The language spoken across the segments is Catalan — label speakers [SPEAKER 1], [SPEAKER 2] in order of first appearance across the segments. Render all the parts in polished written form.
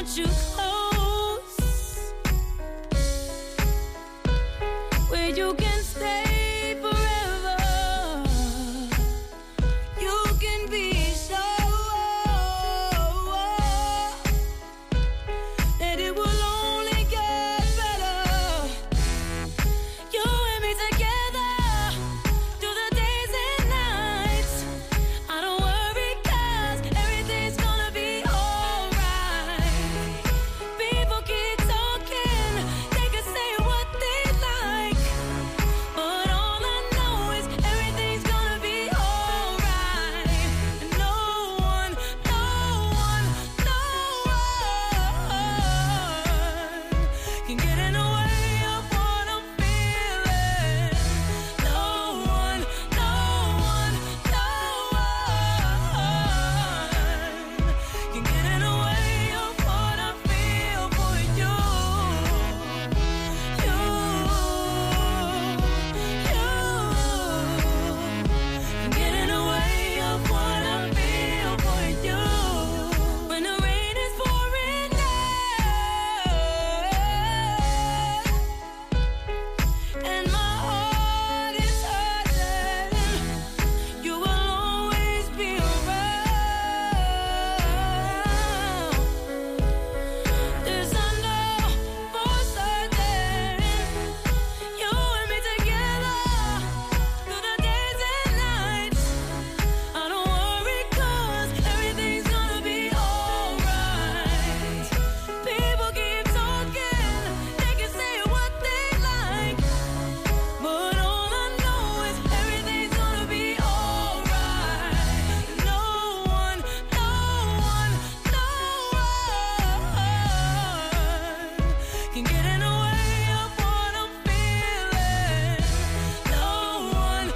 [SPEAKER 1] want you close, where you can stay forever. You can be sure that it will only get better. You and me together through the days and nights. I don't worry 'cause everything's gonna be alright. People keep talking, they can say what they like, but all I know is everything's gonna be alright. And no one can get in the way of what I'm feeling. No one can get in the way of what I feel for you. You can get in the way of what I feel for you. When the rain is pouring down and my heart is hurting, you will always be around. This I know for certain. You and me together through the days and nights. I don't worry 'cause everything's gonna be alright. People keep talking, they can say what they like, but all I know is everything's gonna be alright. No one can get in the way of what I'm feeling. No one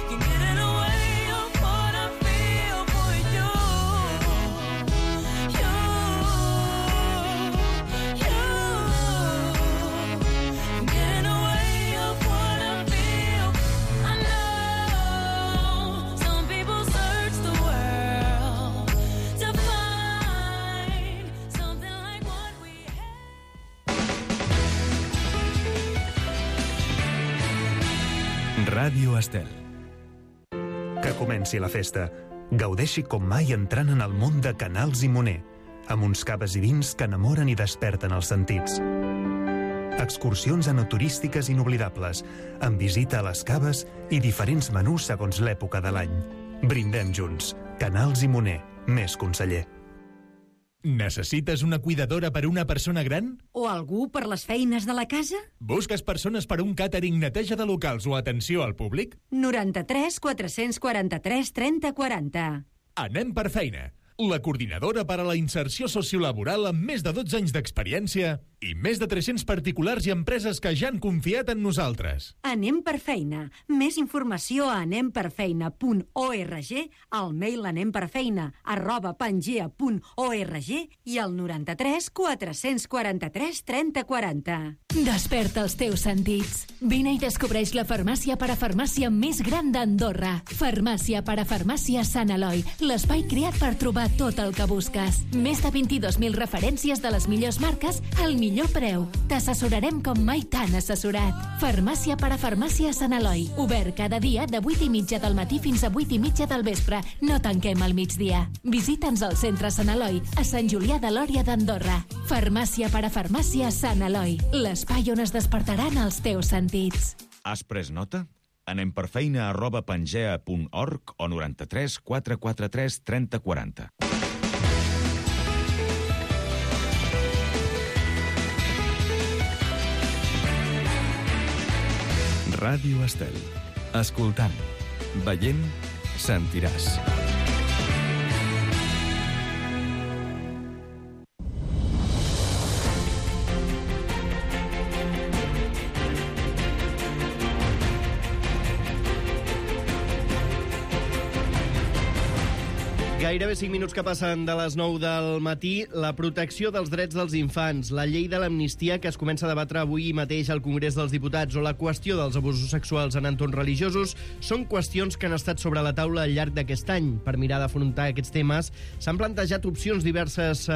[SPEAKER 1] can get in the way of what I feel for you. You can get in the way of what I feel. I know some people search the world to find something like what we have.
[SPEAKER 2] Ràdio Estel. Que comenci la festa. Gaudeixi com mai entrant en el món de Canals i Moner, amb uns caves i vins que enamoren i desperten els sentits. Excursions enoturístiques inoblidables, amb visita a les caves i diferents menús segons l'època de l'any. Brindem junts. Canals i Moner. Més conseller.
[SPEAKER 3] Necessites una cuidadora per una persona gran?
[SPEAKER 4] O algú per les feines de la casa?
[SPEAKER 3] Busques persones per un càtering, neteja de locals o atenció al públic?
[SPEAKER 4] 93 443 30 40.
[SPEAKER 3] Anem per feina. La coordinadora per a la inserció sociolaboral amb més de 12 anys d'experiència i més de 300 particulars i empreses que ja han confiat en nosaltres.
[SPEAKER 4] Anem per feina. Més informació a anemperfeina.org, al mail anemperfeina@pangea.org i al 93 443 30 40.
[SPEAKER 5] Desperta els teus sentits. Vine i descobreix la farmàcia parafarmàcia més gran d'Andorra. Farmàcia parafarmàcia Sant Eloi, l'espai creat per trobar tot el que busques. Més de 22.000 referències de les millors marques al millor preu. T'assessorarem com mai t'han assessorat. Farmàcia parafarmàcia Sant Eloi, obert cada dia de 8:30 del matí fins a 8:30 del vespre. No tanquem al migdia. Visita'ns al centre Sant Eloi, a Sant Julià de Lòria d'Andorra. Farmàcia parafarmàcia Sant Eloi, l'espai on es despertaran els teus sentits.
[SPEAKER 6] Has pres nota? anemperfeina@pangea.org o 93 443 30 40.
[SPEAKER 2] Ràdio Estel. Escoltant, veient, sentiràs.
[SPEAKER 7] Gairebé 5 minuts que passen de les 9 del matí. La protecció dels drets dels infants, la llei de l'amnistia que es comença a debatre avui mateix al Congrés dels Diputats o la qüestió dels abusos sexuals en entorns religiosos són qüestions que han estat sobre la taula al llarg d'aquest any. Per mirar d'afrontar aquests temes s'han plantejat opcions, diverses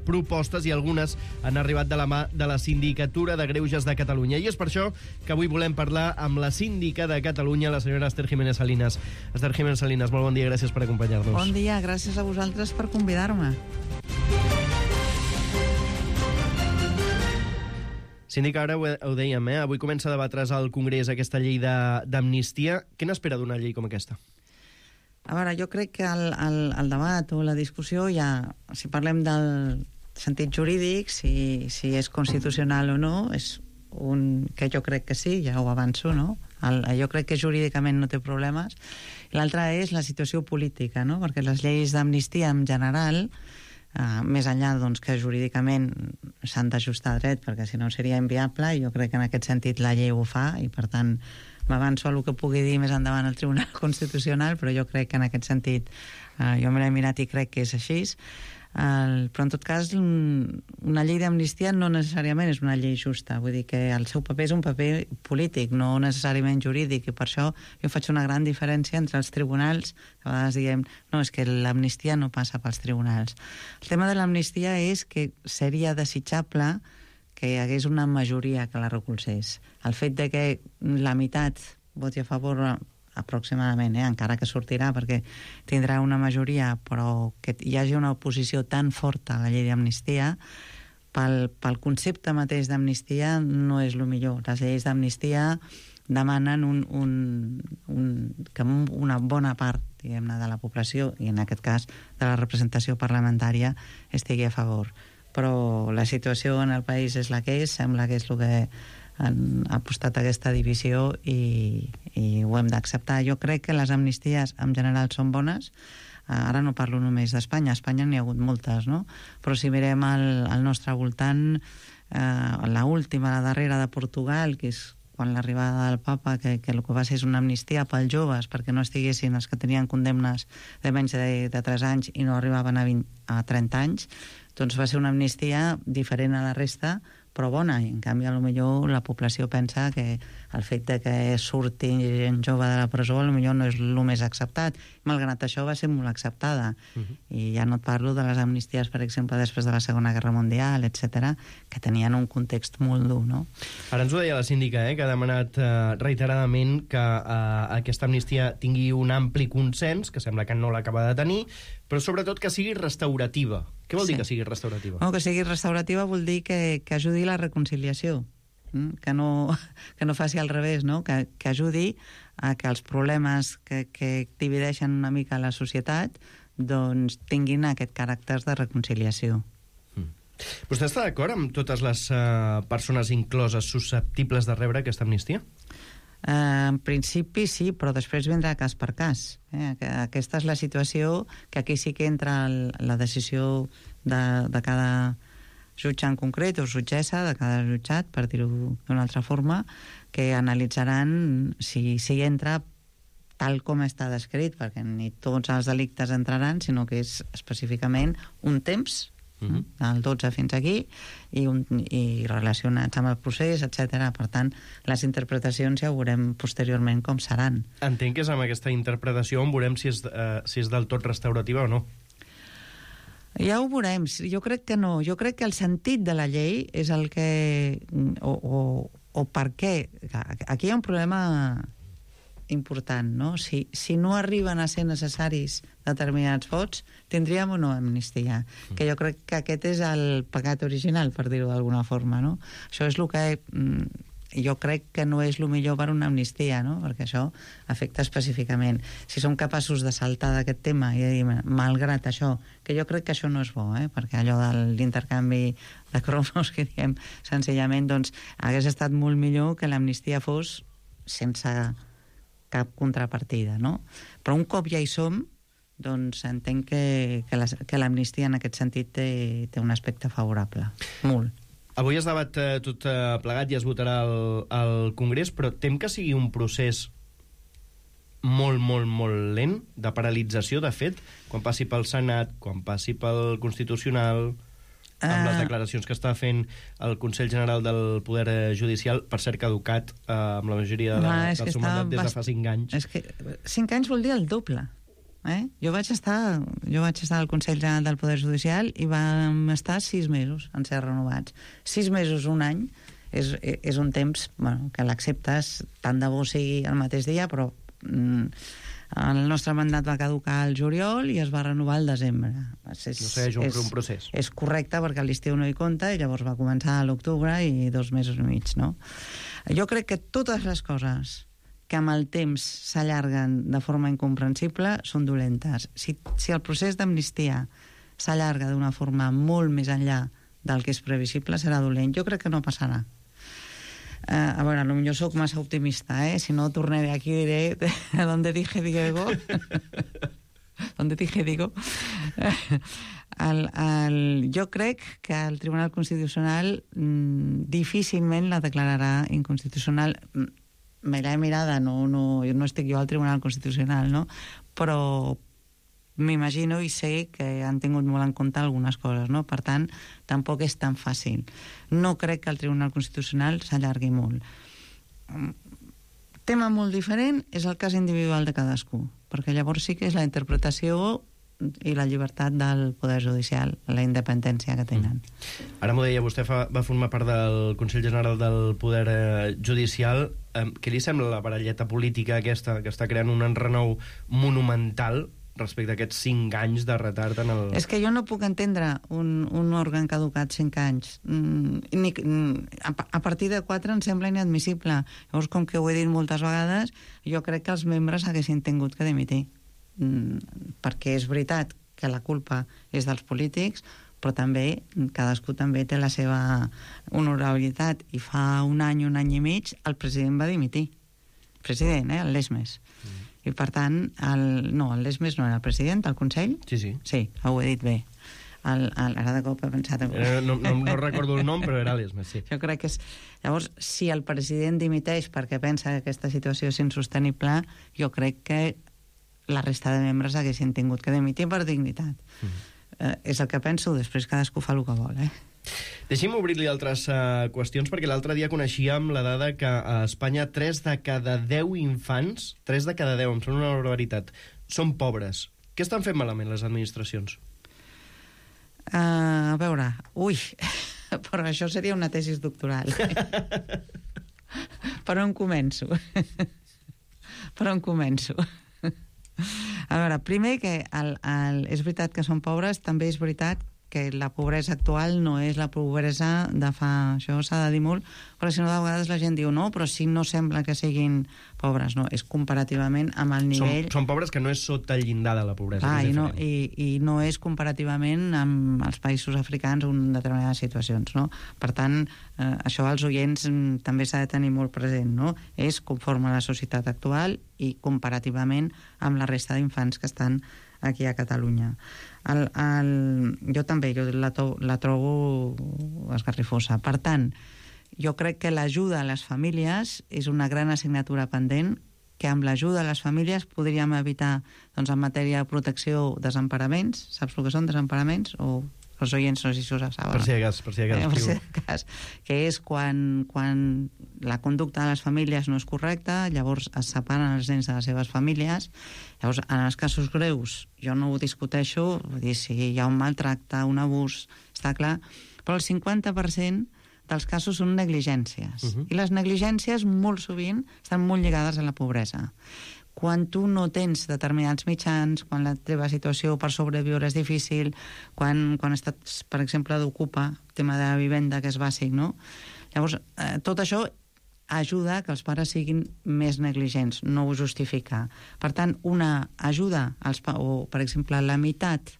[SPEAKER 7] propostes i algunes han arribat de la mà de la Sindicatura de Greuges de Catalunya. I és per això que avui volem parlar amb la síndica de Catalunya, la senyora Esther Jiménez Salinas. Esther Jiménez Salinas, molt bon dia, gràcies per acompanyar-nos.
[SPEAKER 8] Bon dia, gràcies a vosaltres per convidar-me.
[SPEAKER 7] Síndica, ara ho dèiem, avui comença a debatre's al Congrés aquesta llei d'amnistia. Què n'espera d'una llei com aquesta?
[SPEAKER 8] A veure, jo crec que el debat o la discussió ja, si parlem del sentit jurídic, si és constitucional o no, és que jo crec que sí, ja ho avanço, no? Jo crec que jurídicament no té problemes. L'altra és la situació política, no? Perquè les lleis d'amnistia en general, més enllà doncs, que jurídicament s'han d'ajustar a dret, perquè si no seria inviable, i jo crec que en aquest sentit la llei ho fa, i per tant m'avanço a el que pugui dir més endavant el Tribunal Constitucional, però jo crec que en aquest sentit jo me l'he mirat i crec que és així. Però en tot cas una llei d'amnistia no necessàriament és una llei justa, vull dir que el seu paper és un paper polític, no necessàriament jurídic, i per això jo faig una gran diferència entre els tribunals, que a vegades diguem no, és que l'amnistia no passa pels tribunals. El tema de l'amnistia és que seria desitjable que hi hagués una majoria que la recolzés. El fet de que la meitat voti a favor aproximadament, encara que sortirà perquè tindrà una majoria, però que hi hagi una oposició tan forta a la llei d'amnistia, pel concepte mateix d'amnistia no és el millor. Les lleis d'amnistia demanen que una bona part, diguem-ne, de la població, i en aquest cas de la representació parlamentària, estigui a favor. Però la situació en el país és la que és, sembla que és el que han apostat aquesta divisió i ho hem d'acceptar. Jo crec que les amnisties en general són bones. Ara no parlo només d'Espanya, a Espanya n'hi ha hagut moltes, no? Però si mirem al nostre voltant, la darrera de Portugal, que és quan l'arribada del papa, que el que va ser és una amnistia pels joves, perquè no estiguessin els que tenien condemnes de menys de 3 anys i no arribaven a 30 anys, doncs va ser una amnistia diferent a la resta, però bona, i en canvi potser la població pensa que el fet de que surti gent jove de la presó potser no és el més acceptat. Malgrat això va ser molt acceptada. I ja no et parlo de les amnisties, per exemple, després de la Segona Guerra Mundial, etc., que tenien un context molt dur, no?
[SPEAKER 7] Ara ens ho deia la síndica, que ha demanat reiteradament que aquesta amnistia tingui un ampli consens, que sembla que no l'acaba de tenir, però sobretot que sigui restaurativa. Què vol dir que sigui restaurativa?
[SPEAKER 8] Que sigui restaurativa vol dir que ajudi la reconciliació, que no faci al revés, no? Que ajudi a que els problemes que divideixen una mica la societat doncs tinguin aquest caràcter de reconciliació.
[SPEAKER 7] Vostè està d'acord amb totes les persones incloses susceptibles de rebre aquesta amnistia?
[SPEAKER 8] En principi sí, però després vindrà cas per cas. Aquesta és la situació, que aquí sí que entra la decisió de cada jutge en concret, o jutgessa de cada jutjat, per dir-ho d'una altra forma, que analitzaran si entra tal com està descrit, perquè ni tots els delictes entraran, sinó que és específicament un temps, del 12 fins aquí, i relacionats amb el procés, etc. Per tant, les interpretacions ja ho veurem posteriorment com seran.
[SPEAKER 7] Entenc que és amb aquesta interpretació on veurem si és del tot restaurativa o no.
[SPEAKER 8] Ja ho veurem. Jo crec que no. Jo crec que el sentit de la llei és el que... o per què. Aquí hi ha un problema important, no? Si no arriben a ser necessaris determinats vots, tindríem o no amnistia. Que jo crec que aquest és el pecat original, per dir-ho d'alguna forma, no? Això és el que jo crec que no és el millor per una amnistia, no? Perquè això afecta específicament. Si som capaços de saltar d'aquest tema i de dir, malgrat això, que jo crec que això no és bo, perquè allò de l'intercanvi de cromos que diem senzillament, doncs hagués estat molt millor que l'amnistia fos sense cap contrapartida, no? Però un cop ja hi som, doncs entenc que l'amnistia en aquest sentit té un aspecte favorable. Molt.
[SPEAKER 7] Avui es debat tot plegat i es votarà al Congrés, però tem que sigui un procés molt, molt, molt lent, de paralització, de fet, quan passi pel Senat, quan passi pel Constitucional, amb les declaracions que està fent el Consell General del Poder Judicial, per cert caducat amb la majoria del seu mandat des de fa 5 anys.
[SPEAKER 8] És que 5 anys vol dir el doble. Jo vaig estar al Consell General del Poder Judicial i vam estar 6 mesos en ser renovats. 6 mesos, un any, és un temps que l'acceptes, tant de bo sigui el mateix dia, però el nostre mandat va caducar al juliol i es va renovar al desembre.
[SPEAKER 7] No segueix un procés.
[SPEAKER 8] És correcte perquè l'estiu no hi compta i llavors va començar a l'octubre i 2 mesos i mig, no? Jo crec que totes les coses que amb el temps s'allarguen de forma incomprensible són dolentes. Si el procés d'amnistia s'allarga d'una forma molt més enllà del que és previsible, serà dolent. Jo crec que no passarà. A veure, potser soc massa optimista, si no tornaré aquí i diré donde dije digo. Donde dije digo. Jo crec que el Tribunal Constitucional difícilment la declararà inconstitucional. Me l'he mirada, no estic jo al Tribunal Constitucional, no? Però m'imagino i sé que han tingut molt en compte algunes coses, no? Per tant, tampoc és tan fàcil. No crec que el Tribunal Constitucional s'allargui molt. Tema molt diferent és el cas individual de cadascú, perquè llavors sí que és la interpretació i la llibertat del Poder Judicial, la independència que tenen.
[SPEAKER 7] Ara m'ho deia, vostè va formar part del Consell General del Poder Judicial. Què li sembla la baralleta política aquesta que està creant un enrenou monumental respecte a aquests 5 anys de retard en el...
[SPEAKER 8] És que jo no puc entendre un òrgan caducat 5 anys. A partir de 4 em sembla inadmissible. Llavors, com que ho he dit moltes vegades, jo crec que els membres haguessin tingut que dimitir. Perquè és veritat que la culpa és dels polítics, però també cadascú també té la seva honorabilitat, i fa un any i mig el president va dimitir. El president, el Lesmes. I per tant, el Lesmes no era el president, el Consell?
[SPEAKER 7] Sí.
[SPEAKER 8] Sí, ho he dit bé. Ara de cop he pensat...
[SPEAKER 7] No recordo el nom, però era Lesmes, sí.
[SPEAKER 8] Jo crec que és... Llavors, si el president dimiteix perquè pensa que aquesta situació és insostenible, jo crec que la resta de membres haguessin tingut que dimitir per dignitat. És el que penso, després cadascú fa el que vol,
[SPEAKER 7] Deixi'm obrir-li altres qüestions, perquè l'altre dia coneixíem la dada que a Espanya 3 de cada 10 infants, 3 de cada 10, em sembla una barbaritat, són pobres. Què estan fent malament les administracions?
[SPEAKER 8] A veure, però això seria una tesis doctoral. Per on començo? A veure, primer que és veritat que són pobres, també és veritat que la pobresa actual no és la pobresa de fa... Això s'ha de dir molt, però si no, de vegades la gent diu no, però si no sembla que siguin pobres, no, és comparativament amb el nivell...
[SPEAKER 7] Són pobres que no és sota el llindar de la pobresa.
[SPEAKER 8] I no és comparativament amb els països africans en determinades situacions, no? Per tant, això als oients també s'ha de tenir molt present, no? És conforme a la societat actual i comparativament amb la resta d'infants que estan aquí a Catalunya. Jo també la trobo esgarrifosa. Per tant, jo crec que l'ajuda a les famílies és una gran assignatura pendent, que amb l'ajuda a les famílies podríem evitar, doncs, en matèria de protecció, desemparaments. Saps el que són desemparaments? O els oients no sé si us saben.
[SPEAKER 7] Per si de cas.
[SPEAKER 8] Que és quan la conducta de les famílies no és correcta, llavors es separen els nens de les seves famílies. Llavors, en els casos greus, jo no ho discuteixo, vull dir, si hi ha un maltracte, un abús, està clar, però el 50% dels casos són negligències. I les negligències, molt sovint, estan molt lligades a la pobresa. Quan tu no tens determinats mitjans, quan la teva situació per sobreviure és difícil, quan estàs, per exemple, d'ocupa, tema de vivenda, que és bàsic, no? Llavors, tot això ajuda que els pares siguin més negligents, no ho justifica. Per tant, una ajuda, o, per exemple, la meitat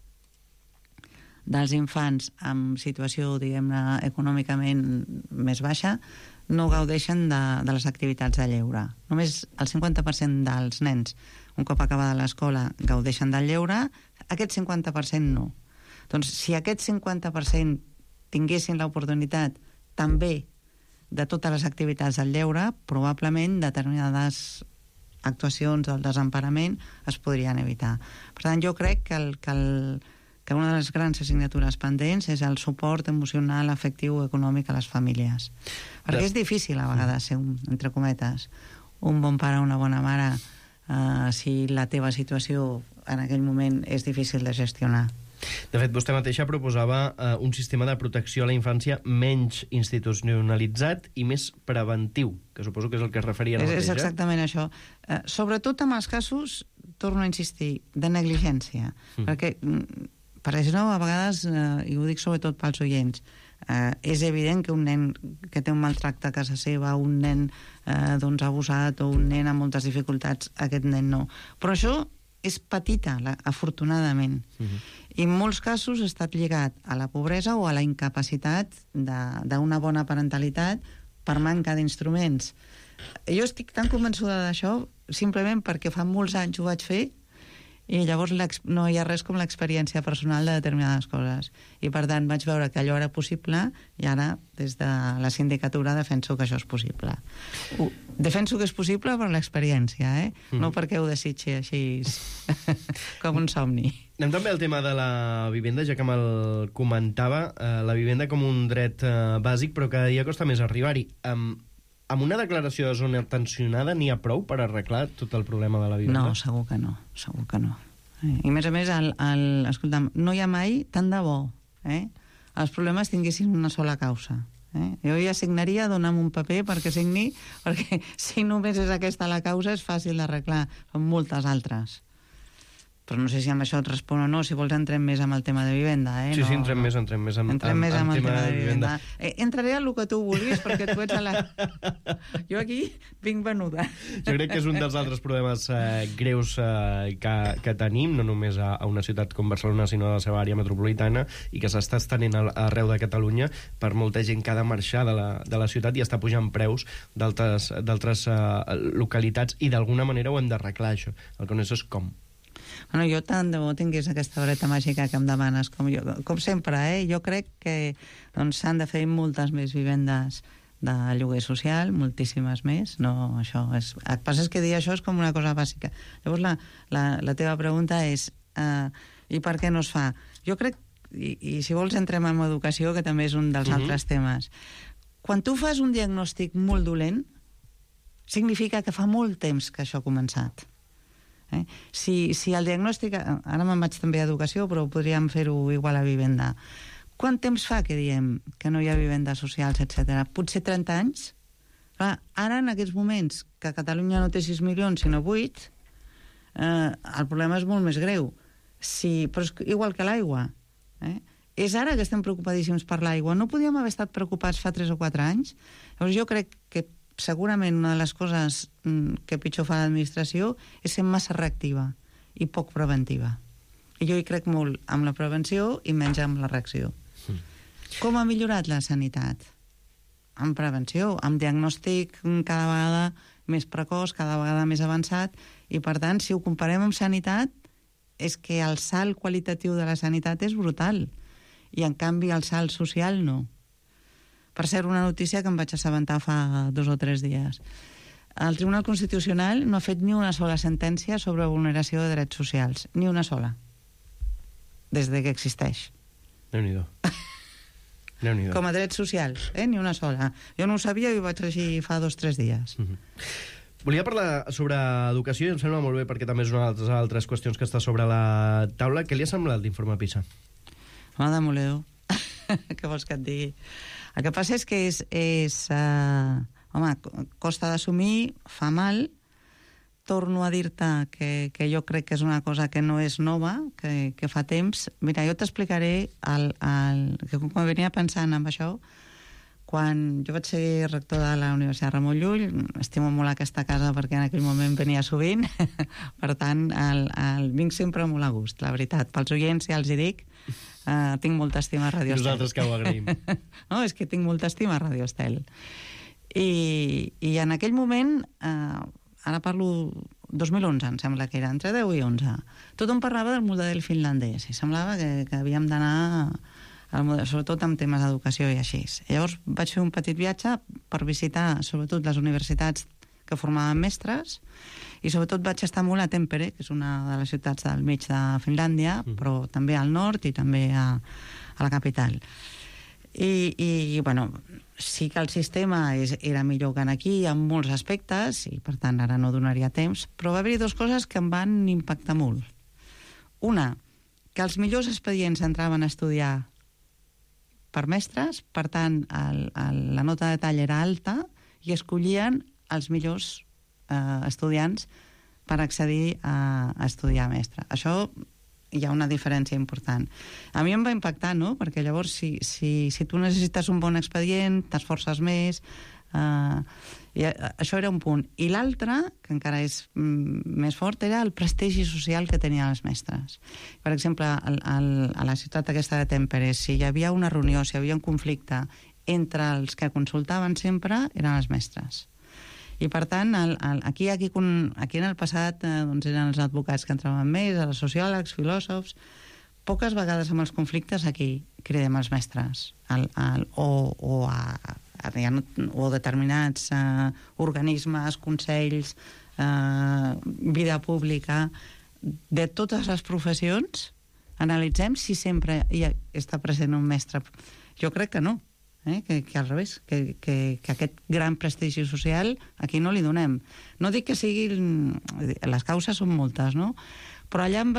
[SPEAKER 8] dels infants en situació, diguem-ne, econòmicament més baixa, no gaudeixen de les activitats de lleure. Només el 50% dels nens, un cop acabada l'escola, gaudeixen del lleure, aquest 50% no. Doncs si aquest 50% tinguessin l'oportunitat també de totes les activitats del lleure, probablement determinades actuacions del desemparament es podrien evitar. Per tant, jo crec que una de les grans assignatures pendents és el suport emocional, afectiu, econòmic a les famílies. Perquè és difícil a vegades ser, entre cometes, un bon pare o una bona mare si la teva situació en aquell moment és difícil de gestionar.
[SPEAKER 7] De fet, vostè mateixa proposava un sistema de protecció a la infància menys institucionalitzat i més preventiu, que suposo que és el que es referia a la mateixa.
[SPEAKER 8] És exactament això. Sobretot en els casos, torno a insistir, de negligència. Perquè, per exemple, a vegades, i ho dic sobretot pels oients, és evident que un nen que té un maltracte a casa seva, un nen abusat o un nen amb moltes dificultats, aquest nen no. Però això és petita, afortunadament. I en molts casos ha estat lligat a la pobresa o a la incapacitat d'una bona parentalitat per manca d'instruments. Jo estic tan convençuda d'això simplement perquè fa molts anys ho vaig fer i llavors no hi ha res com l'experiència personal de determinades coses. I per tant vaig veure que allò era possible i ara des de la sindicatura defenso que això és possible. Defenso que és possible per l'experiència, no perquè ho desitgi així com un somni.
[SPEAKER 7] Anem també al tema de la vivenda, ja que me'l comentava, la vivenda com un dret bàsic, però cada dia costa més arribar-hi. Amb una declaració de zona tensionada n'hi ha prou per arreglar tot el problema de la vivenda?
[SPEAKER 8] No, segur que no. I a més, escolta'm, no hi ha mai tant de bo. Els problemes tinguessin una sola causa. Jo ja signaria, dona'm un paper perquè signi, perquè si només és aquesta la causa és fàcil d'arreglar. Són moltes altres. Però no sé si amb això et respon o no, si vols entrem més amb el tema de vivenda.
[SPEAKER 7] Sí, entrem més amb el tema de vivenda.
[SPEAKER 8] Entraré a el que tu vulguis, perquè tu ets a la... Jo aquí vinc venuda.
[SPEAKER 7] Jo crec que és un dels altres problemes greus que tenim, no només a una ciutat com Barcelona, sinó a la seva àrea metropolitana, i que s'està estenent arreu de Catalunya per molta gent que ha de marxar de la ciutat i està pujant preus d'altres localitats, i d'alguna manera ho hem d'arreglar, això. El que no és com.
[SPEAKER 8] Bueno, jo tant de bo tingués aquesta vareta màgica que em demanes, com sempre, jo crec que s'han de fer moltes més vivendes de lloguer social, moltíssimes més. No, això és... El que passa és que dir això és com una cosa bàsica. Llavors la teva pregunta és i per què no es fa? Jo crec, i si vols entrem en educació, que també és un dels altres temes. Quan tu fas un diagnòstic molt dolent, significa que fa molt temps que això ha començat. Si el diagnòstic... Ara me'n vaig també a educació, però podríem fer-ho igual a vivenda. Quant temps fa que diem que no hi ha vivendes socials, etc.? Potser 30 anys? Clar, ara, en aquests moments, que Catalunya no té 6 milions, sinó 8, el problema és molt més greu. Però és igual que l'aigua. És ara que estem preocupadíssims per l'aigua. No podíem haver estat preocupats fa 3 o 4 anys? Llavors jo crec que segurament una de les coses que pitjor fa l'administració és ser massa reactiva i poc preventiva. I jo hi crec molt amb la prevenció i menys amb la reacció. Com ha millorat la sanitat? Amb prevenció, amb diagnòstic cada vegada més precoç, cada vegada més avançat, i per tant, si ho comparem amb sanitat, és que el salt qualitatiu de la sanitat és brutal, i en canvi el salt social no. Per cert, una notícia que em vaig assabentar fa 2 o 3 dies. El Tribunal Constitucional no ha fet ni una sola sentència sobre vulneració de drets socials. Ni una sola. Des que existeix.
[SPEAKER 7] Déu-n'hi-do.
[SPEAKER 8] Com a drets socials, ni una sola. Jo no ho sabia i ho vaig llegir fa 2 o 3 dies.
[SPEAKER 7] Volia parlar sobre educació, i em sembla molt bé perquè també és una de les altres qüestions que està sobre la taula. Què li ha semblat l'informe PISA?
[SPEAKER 8] Home, demoledor. Què vols que et digui? El que passa és que costa d'assumir, fa mal. Torno a dir-te que jo crec que és una cosa que no és nova, que fa temps. Mira, jo t'explicaré que quan venia pensant en això, quan jo vaig ser rector de la Universitat Ramon Llull, estimo molt aquesta casa perquè en aquell moment venia sovint, per tant, vinc sempre molt a gust, la veritat. Pels oients, ja els hi dic, tinc molta estima a Radio Estel.
[SPEAKER 7] Nosaltres que ho agraïm.
[SPEAKER 8] No, és que tinc molta estima a Radio Estel. I en aquell moment, ara parlo 2011, em sembla que era, entre 10 i 11, tothom parlava del model finlandès i semblava que havíem d'anar sobretot amb temes d'educació i així. Llavors vaig fer un petit viatge per visitar sobretot les universitats que formaven mestres, i sobretot vaig estar molt a Tampere, que és una de les ciutats del mig de Finlàndia, però també al nord i també a la capital. I bueno, sí que el sistema era millor que aquí en molts aspectes, i per tant ara no donaria temps, però va haver-hi dues coses que em van impactar molt. Una, que els millors expedients entraven a estudiar per mestres, per tant la nota de tall era alta i escollien els millors estudiants per accedir a estudiar mestre. Això hi ha una diferència important. A mi em va impactar, no? Perquè llavors si tu necessites un bon expedient, t'esforces més, i això era un punt. I l'altre, que encara és més fort, era el prestigi social que tenien els mestres. Per exemple, a la ciutat aquesta de Tampere, si hi havia una reunió, si hi havia un conflicte entre els que consultaven sempre, eren els mestres. I per tant, aquí en el passat doncs eren els advocats que entraven més, els sociòlegs, filòsofs. Poques vegades amb els conflictes aquí cridem els mestres o determinats organismes, consells, vida pública, de totes les professions, analitzem si sempre hi està present un mestre. Jo crec que no. Que al revés, que aquest gran prestigi social aquí no li donem. No dic que siguin... Les causes són moltes, no? Però allà em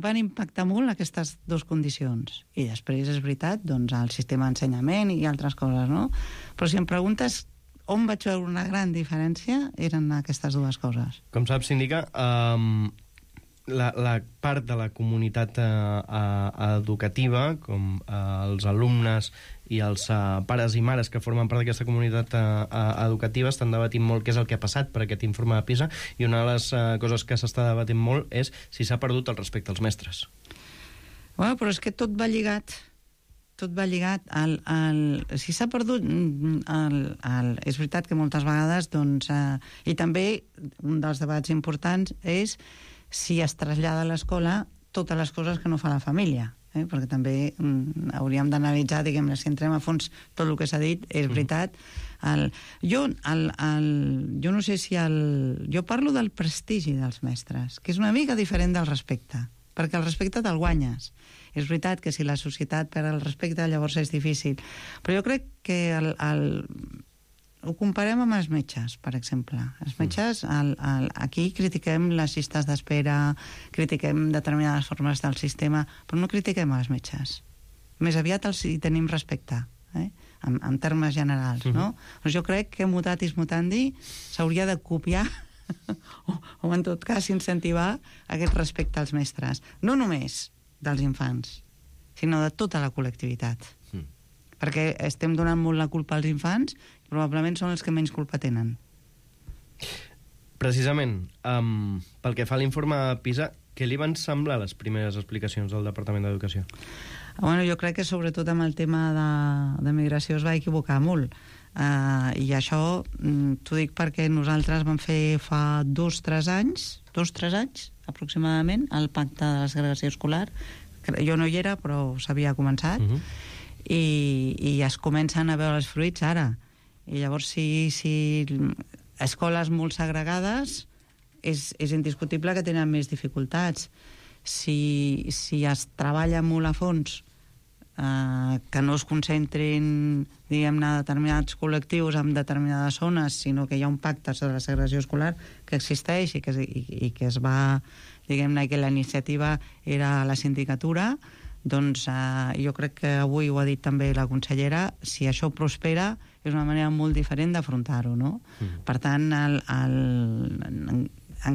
[SPEAKER 8] van impactar molt aquestes dues condicions. I després, és veritat, doncs, el sistema d'ensenyament i altres coses, no? Però si em preguntes on vaig veure una gran diferència, eren aquestes dues coses.
[SPEAKER 7] Com saps, síndica, la part de la comunitat educativa, com els alumnes i els pares i mares que formen part d'aquesta comunitat educativa, estan debatint molt què és el que ha passat per aquest informe de PISA, i una de les coses que s'està debatint molt és si s'ha perdut el respecte als mestres.
[SPEAKER 8] Bueno, però és que tot va lligat. Tot va lligat. Si s'ha perdut... és veritat que moltes vegades, doncs... I també un dels debats importants és si es trasllada a l'escola totes les coses que no fa la família. Perquè també hauríem d'analitzar, diguem-ne, si entrem a fons tot el que s'ha dit, és veritat. Jo no sé si jo parlo del prestigi dels mestres, que és una mica diferent del respecte, perquè el respecte te'l guanyes. És veritat que si la societat perd el respecte, llavors és difícil. Però jo crec que ho comparem amb els metges, per exemple. Els metges, aquí critiquem les llistes d'espera, critiquem determinades formes del sistema, però no critiquem els metges. Més aviat els hi tenim respecte, en termes generals, no? Doncs jo crec que mutatis mutandi s'hauria de copiar o en tot cas incentivar aquest respecte als mestres. No només dels infants, sinó de tota la col·lectivitat. Perquè estem donant molt la culpa als infants, probablement són els que menys culpa tenen.
[SPEAKER 7] Precisament, pel que fa a l'informe PISA, què li van semblar les primeres explicacions del Departament d'Educació?
[SPEAKER 8] Bueno, jo crec que sobretot amb el tema de migració es va equivocar molt. I això t'ho dic perquè nosaltres vam fer fa 2-3 anys aproximadament, el pacte de la segregació escolar. Jo no hi era, però s'havia començat. I es comencen a veure els fruits ara. I llavors, si escoles molt segregades, és indiscutible que tenen més dificultats. Si es treballa molt a fons, que no es concentrin, diguem-ne, determinats col·lectius en determinades zones, sinó que hi ha un pacte sobre la segregació escolar que existeix i que es va, diguem-ne, que la iniciativa era a la sindicatura, doncs jo crec que avui ho ha dit també la consellera, si això prospera és una manera molt diferent d'afrontar-ho, no? Per tant, en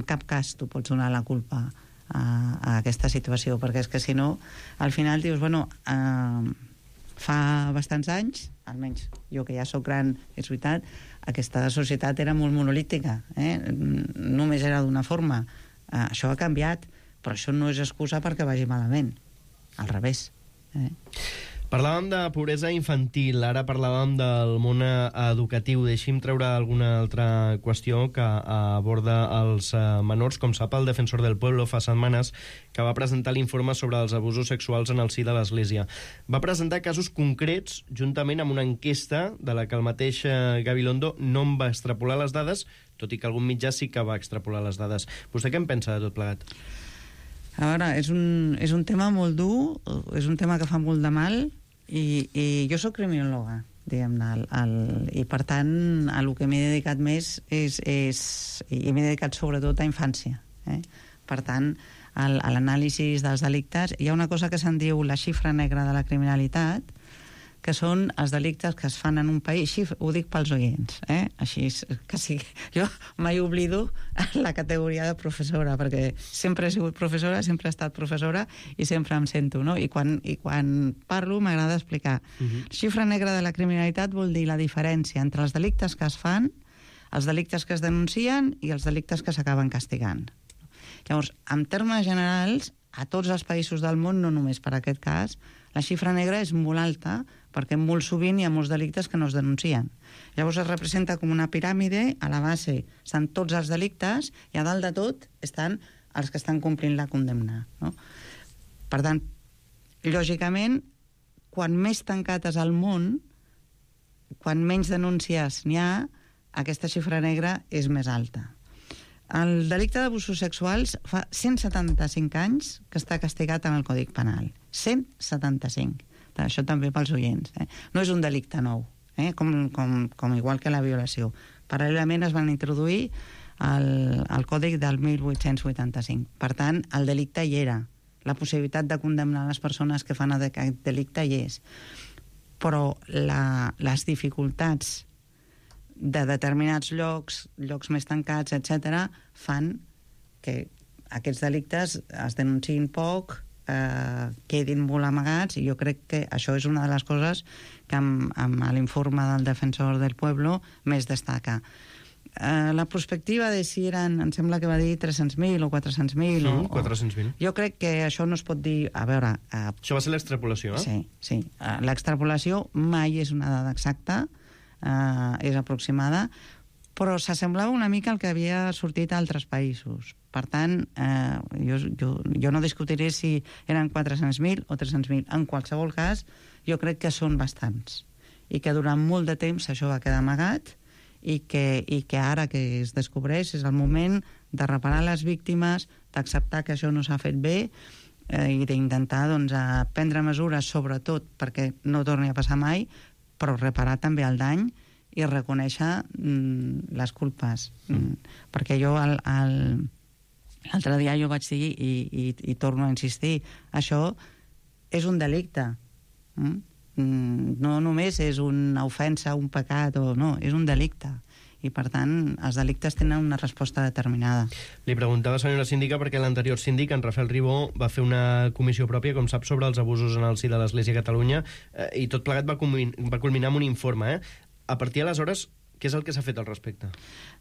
[SPEAKER 8] cap cas tu pots donar la culpa a aquesta situació, perquè és que si no, al final dius, bueno, fa bastants anys, almenys jo que ja sóc gran, és veritat, aquesta societat era molt monolítica, només era d'una forma. Això ha canviat, però això no és excusa perquè vagi malament. Al revés.
[SPEAKER 7] Parlàvem de pobresa infantil, ara parlàvem del món educatiu. Deixi'm treure alguna altra qüestió que aborda els menors. Com sap, el Defensor del Pueblo fa setmanes que va presentar l'informe sobre els abusos sexuals en el si de l'Església. Va presentar casos concrets juntament amb una enquesta de la que el mateix Gabilondo no en va extrapolar les dades, tot i que algun mitjà sí que va extrapolar les dades. Vostè què en pensa de tot plegat?
[SPEAKER 8] A veure, és un tema molt dur, és un tema que fa molt de mal, i jo sóc criminòloga, diguem-ne, i per tant a lo que m'he dedicat més i m'he dedicat sobretot a infància. Per tant, a l'anàlisi dels delictes, hi ha una cosa que se'n diu la xifra negra de la criminalitat, que són els delictes que es fan en un país, així ho dic pels oients, així que sí, jo mai oblido la categoria de professora, perquè sempre he sigut professora, sempre he estat professora i sempre em sento, no? I quan parlo m'agrada explicar. Xifra negra de la criminalitat vol dir la diferència entre els delictes que es fan, els delictes que es denuncien i els delictes que s'acaben castigant. Llavors, en termes generals, a tots els països del món, no només per aquest cas, la xifra negra és molt alta perquè molt sovint hi ha molts delictes que no es denuncien. Llavors es representa com una piràmide, a la base estan tots els delictes i a dalt de tot estan els que estan complint la condemna. No? Per tant, lògicament, quan més tancat és el món, quan menys denúncies n'hi ha, aquesta xifra negra és més alta. El delicte d'abusos sexuals fa 175 anys que està castigat en el Codi Penal. 175. Això també pels oients. No és un delicte nou, com igual que la violació. Paral·lelament es van introduir al Còdic del 1885. Per tant, el delicte hi era. La possibilitat de condemnar les persones que fan aquest delicte hi és. Però les dificultats de determinats llocs més tancats, etc., fan que aquests delictes es denunciïn poc, quedin molt amagats, i jo crec que això és una de les coses que amb l'informe del Defensor del Pueblo més destaca. La perspectiva de si eren, em sembla que va dir 300.000 o 400.000...
[SPEAKER 7] 400.000.
[SPEAKER 8] Jo crec que això no es pot dir... A veure...
[SPEAKER 7] Això va ser l'extrapolació,
[SPEAKER 8] Sí. L'extrapolació mai és una dada exacta, és aproximada, però s'assemblava una mica al que havia sortit a altres països. Per tant, jo no discutiré si eren 400.000 o 300.000. En qualsevol cas, jo crec que són bastants. I que durant molt de temps això va quedar amagat i que ara que es descobreix és el moment de reparar les víctimes, d'acceptar que això no s'ha fet bé i d'intentar prendre mesures, sobretot perquè no torni a passar mai, però reparar també el dany i reconèixer les culpes. Perquè jo l'altre dia jo vaig dir, i torno a insistir, això és un delicte. No només és una ofensa, un pecat, no, és un delicte. I, per tant, els delictes tenen una resposta determinada.
[SPEAKER 7] Li preguntava, senyora síndica, perquè l'anterior síndic, en Rafael Ribó, va fer una comissió pròpia, com sap, sobre els abusos en el si de l'Església a Catalunya, i tot plegat va culminar amb un informe. A partir d'aleshores, què és el que s'ha fet al respecte?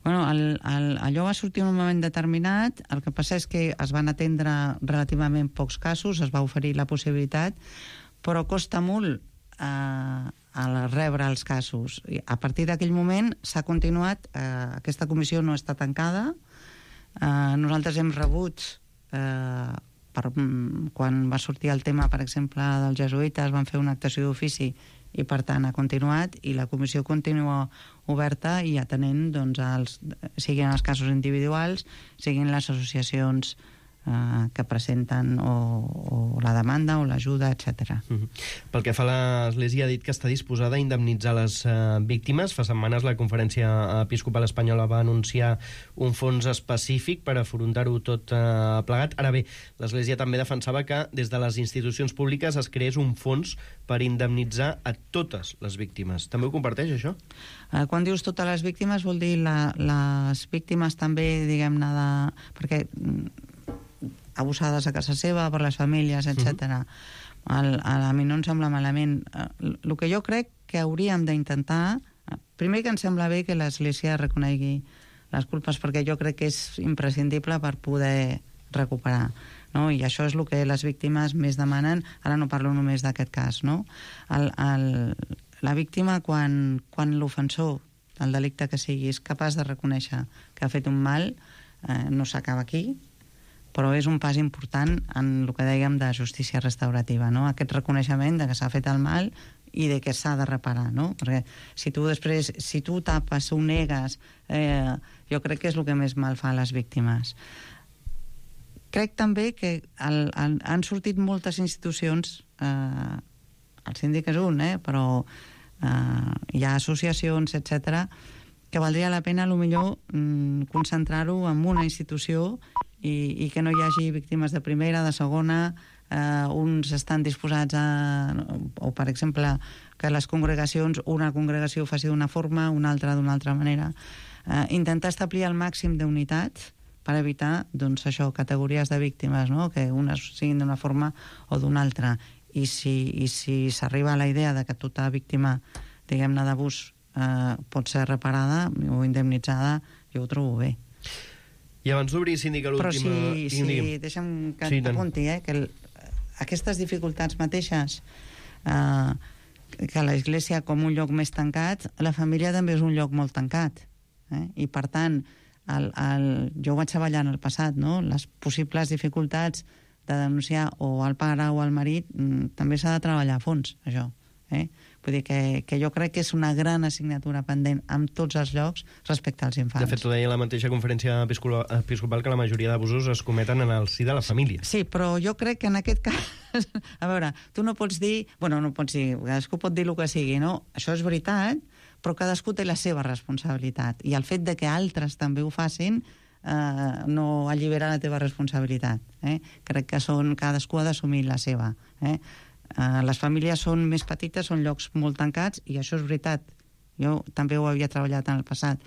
[SPEAKER 8] Bueno, allò va sortir en un moment determinat. El que passa és que es van atendre relativament pocs casos, es va oferir la possibilitat, però costa molt a rebre els casos. A partir d'aquell moment s'ha continuat, aquesta comissió no està tancada. Nosaltres hem rebut, quan va sortir el tema, per exemple, dels jesuïtes, van fer una actuació d'ofici i, per tant, ha continuat, i la comissió continua oberta i atenent, siguin els casos individuals, siguin les associacions que presenten o la demanda o l'ajuda, etc.
[SPEAKER 7] Pel que fa a l'Església, ha dit que està disposada a indemnitzar les víctimes. Fa setmanes la Conferència Episcopal Espanyola va anunciar un fons específic per afrontar-ho tot plegat. Ara bé, l'Església també defensava que des de les institucions públiques es creés un fons per indemnitzar a totes les víctimes. També ho comparteix, això?
[SPEAKER 8] Quan dius totes les víctimes vol dir les víctimes també, diguem-ne, perquè abusades a casa seva, per les famílies, etc. A mi no em sembla malament. El que jo crec que hauríem d'intentar... Primer, que em sembla bé que l'Església reconegui les culpes, perquè jo crec que és imprescindible per poder recuperar. no? I això és el que les víctimes més demanen. Ara no parlo només d'aquest cas, no? La víctima, quan l'ofensor, el delicte que sigui, és capaç de reconèixer que ha fet un mal, no s'acaba aquí, però és un pas important en el que dèiem de justícia restaurativa, no? Aquest reconeixement de que s'ha fet el mal i de que s'ha de reparar, no? Perquè si tu tapes, ho negues, jo crec que és el que més mal fa a les víctimes. Crec també que han sortit moltes institucions, el síndic és un, però hi ha associacions, etc., que valdria la pena, potser, concentrar-ho en una institució i que no hi hagi víctimes de primera, de segona, uns estan disposats o, per exemple, que les congregacions, una congregació faci d'una forma, una altra d'una altra manera. Intentar establir el màxim d'unitat per evitar, doncs, això, categories de víctimes, no? Que unes siguin d'una forma o d'una altra. I si s'arriba a la idea de que tota víctima, diguem-ne, d'abús pot ser reparada o indemnitzada, jo ho trobo bé.
[SPEAKER 7] I abans d'obrir, síndic, a l'última...
[SPEAKER 8] Però deixa'm que t'apunti, que aquestes dificultats mateixes, que l'Església com un lloc més tancat, la família també és un lloc molt tancat. I, per tant, jo ho vaig treballar en el passat, no? Les possibles dificultats de denunciar o al pare o al marit, també s'ha de treballar a fons, això. Vull dir que jo crec que és una gran assignatura pendent en tots els llocs respecte als infants.
[SPEAKER 7] De fet, ho deia la mateixa conferència episcopal, que la majoria d'abusos es cometen en el si de la família.
[SPEAKER 8] Sí, però jo crec que en aquest cas... A veure, tu no pots dir... Bueno, no pots dir... Cadascú pot dir el que sigui, no? Això és veritat, però cadascú té la seva responsabilitat. I el fet de que altres també ho facin no allibera la teva responsabilitat. Crec que cadascú ha d'assumir la seva. Les famílies són més petites, són llocs molt tancats, i això és veritat. Jo també ho havia treballat en el passat.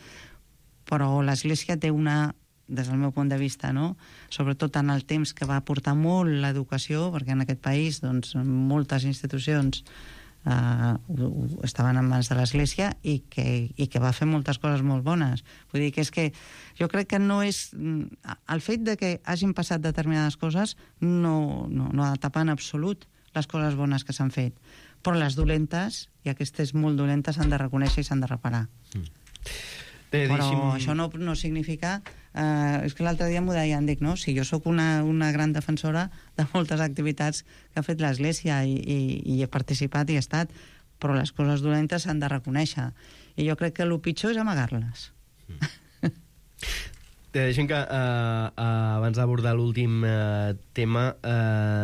[SPEAKER 8] Però l'Església té des del meu punt de vista, no? Sobretot en el temps que va portar molt l'educació, perquè en aquest país, doncs, moltes institucions estaven en mans de l'Església i que va fer moltes coses molt bones. Vull dir que és que jo crec que no és... El fet de que hagin passat determinades coses no ha de tapar en absolut les coses bones que s'han fet. Però les dolentes, i aquestes molt dolentes, s'han de reconèixer i s'han de reparar. Però això no significa... és que l'altre dia m'ho deien, dic, no? Si jo sóc una gran defensora de moltes activitats que ha fet l'Església i he participat i he estat, però les coses dolentes s'han de reconèixer. I jo crec que el pitjor és amagar-les.
[SPEAKER 7] Deixem que, abans d'abordar l'últim tema,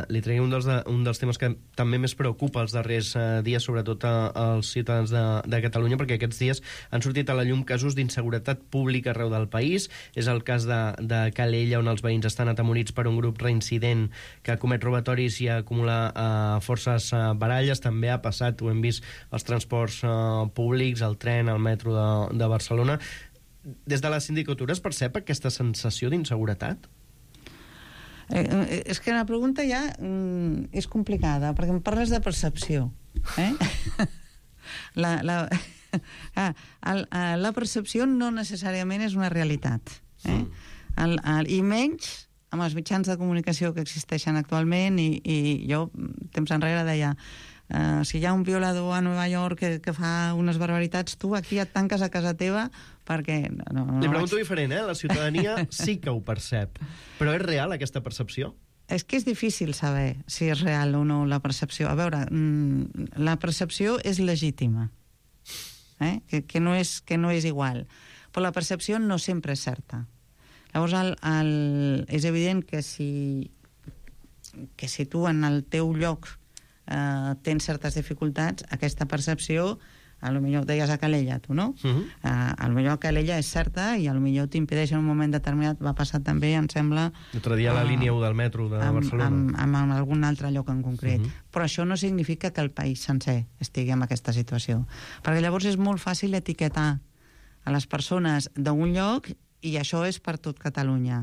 [SPEAKER 7] li tregui un dels temes que també més preocupa els darrers dies, sobretot als ciutadans de Catalunya, perquè aquests dies han sortit a la llum casos d'inseguretat pública arreu del país. És el cas de Calella, on els veïns estan atemorits per un grup reincident que comet robatoris i acumula forces baralles. També ha passat, ho hem vist, als transports públics, al tren, al metro de Barcelona. Des de la sindicatura es percep aquesta sensació d'inseguretat?
[SPEAKER 8] És que la pregunta ja és complicada, perquè em parles de percepció. La percepció no necessàriament és una realitat. I menys amb els mitjans de comunicació que existeixen actualment, i jo temps enrere deia, si hi ha un violador a Nova York que fa unes barbaritats, tu aquí et tanques a casa teva perquè...
[SPEAKER 7] Li pregunto diferent, la ciutadania sí que ho percep, però és real aquesta percepció?
[SPEAKER 8] És que és difícil saber si és real o no la percepció. A veure, la percepció és legítima, que no és igual, però la percepció no sempre és certa. Llavors, és evident que si tu en el teu lloc tens certes dificultats, aquesta percepció, potser deies a Calella, tu, no? Potser a Calella és certa i potser t'impedeix en un moment determinat. Va passar també, em sembla...
[SPEAKER 7] L'altre dia a la línia 1 del metro de Barcelona.
[SPEAKER 8] En algun altre lloc en concret. Però això no significa que el país sencer estigui en aquesta situació. Perquè llavors és molt fàcil etiquetar a les persones d'un lloc i això és per tot Catalunya.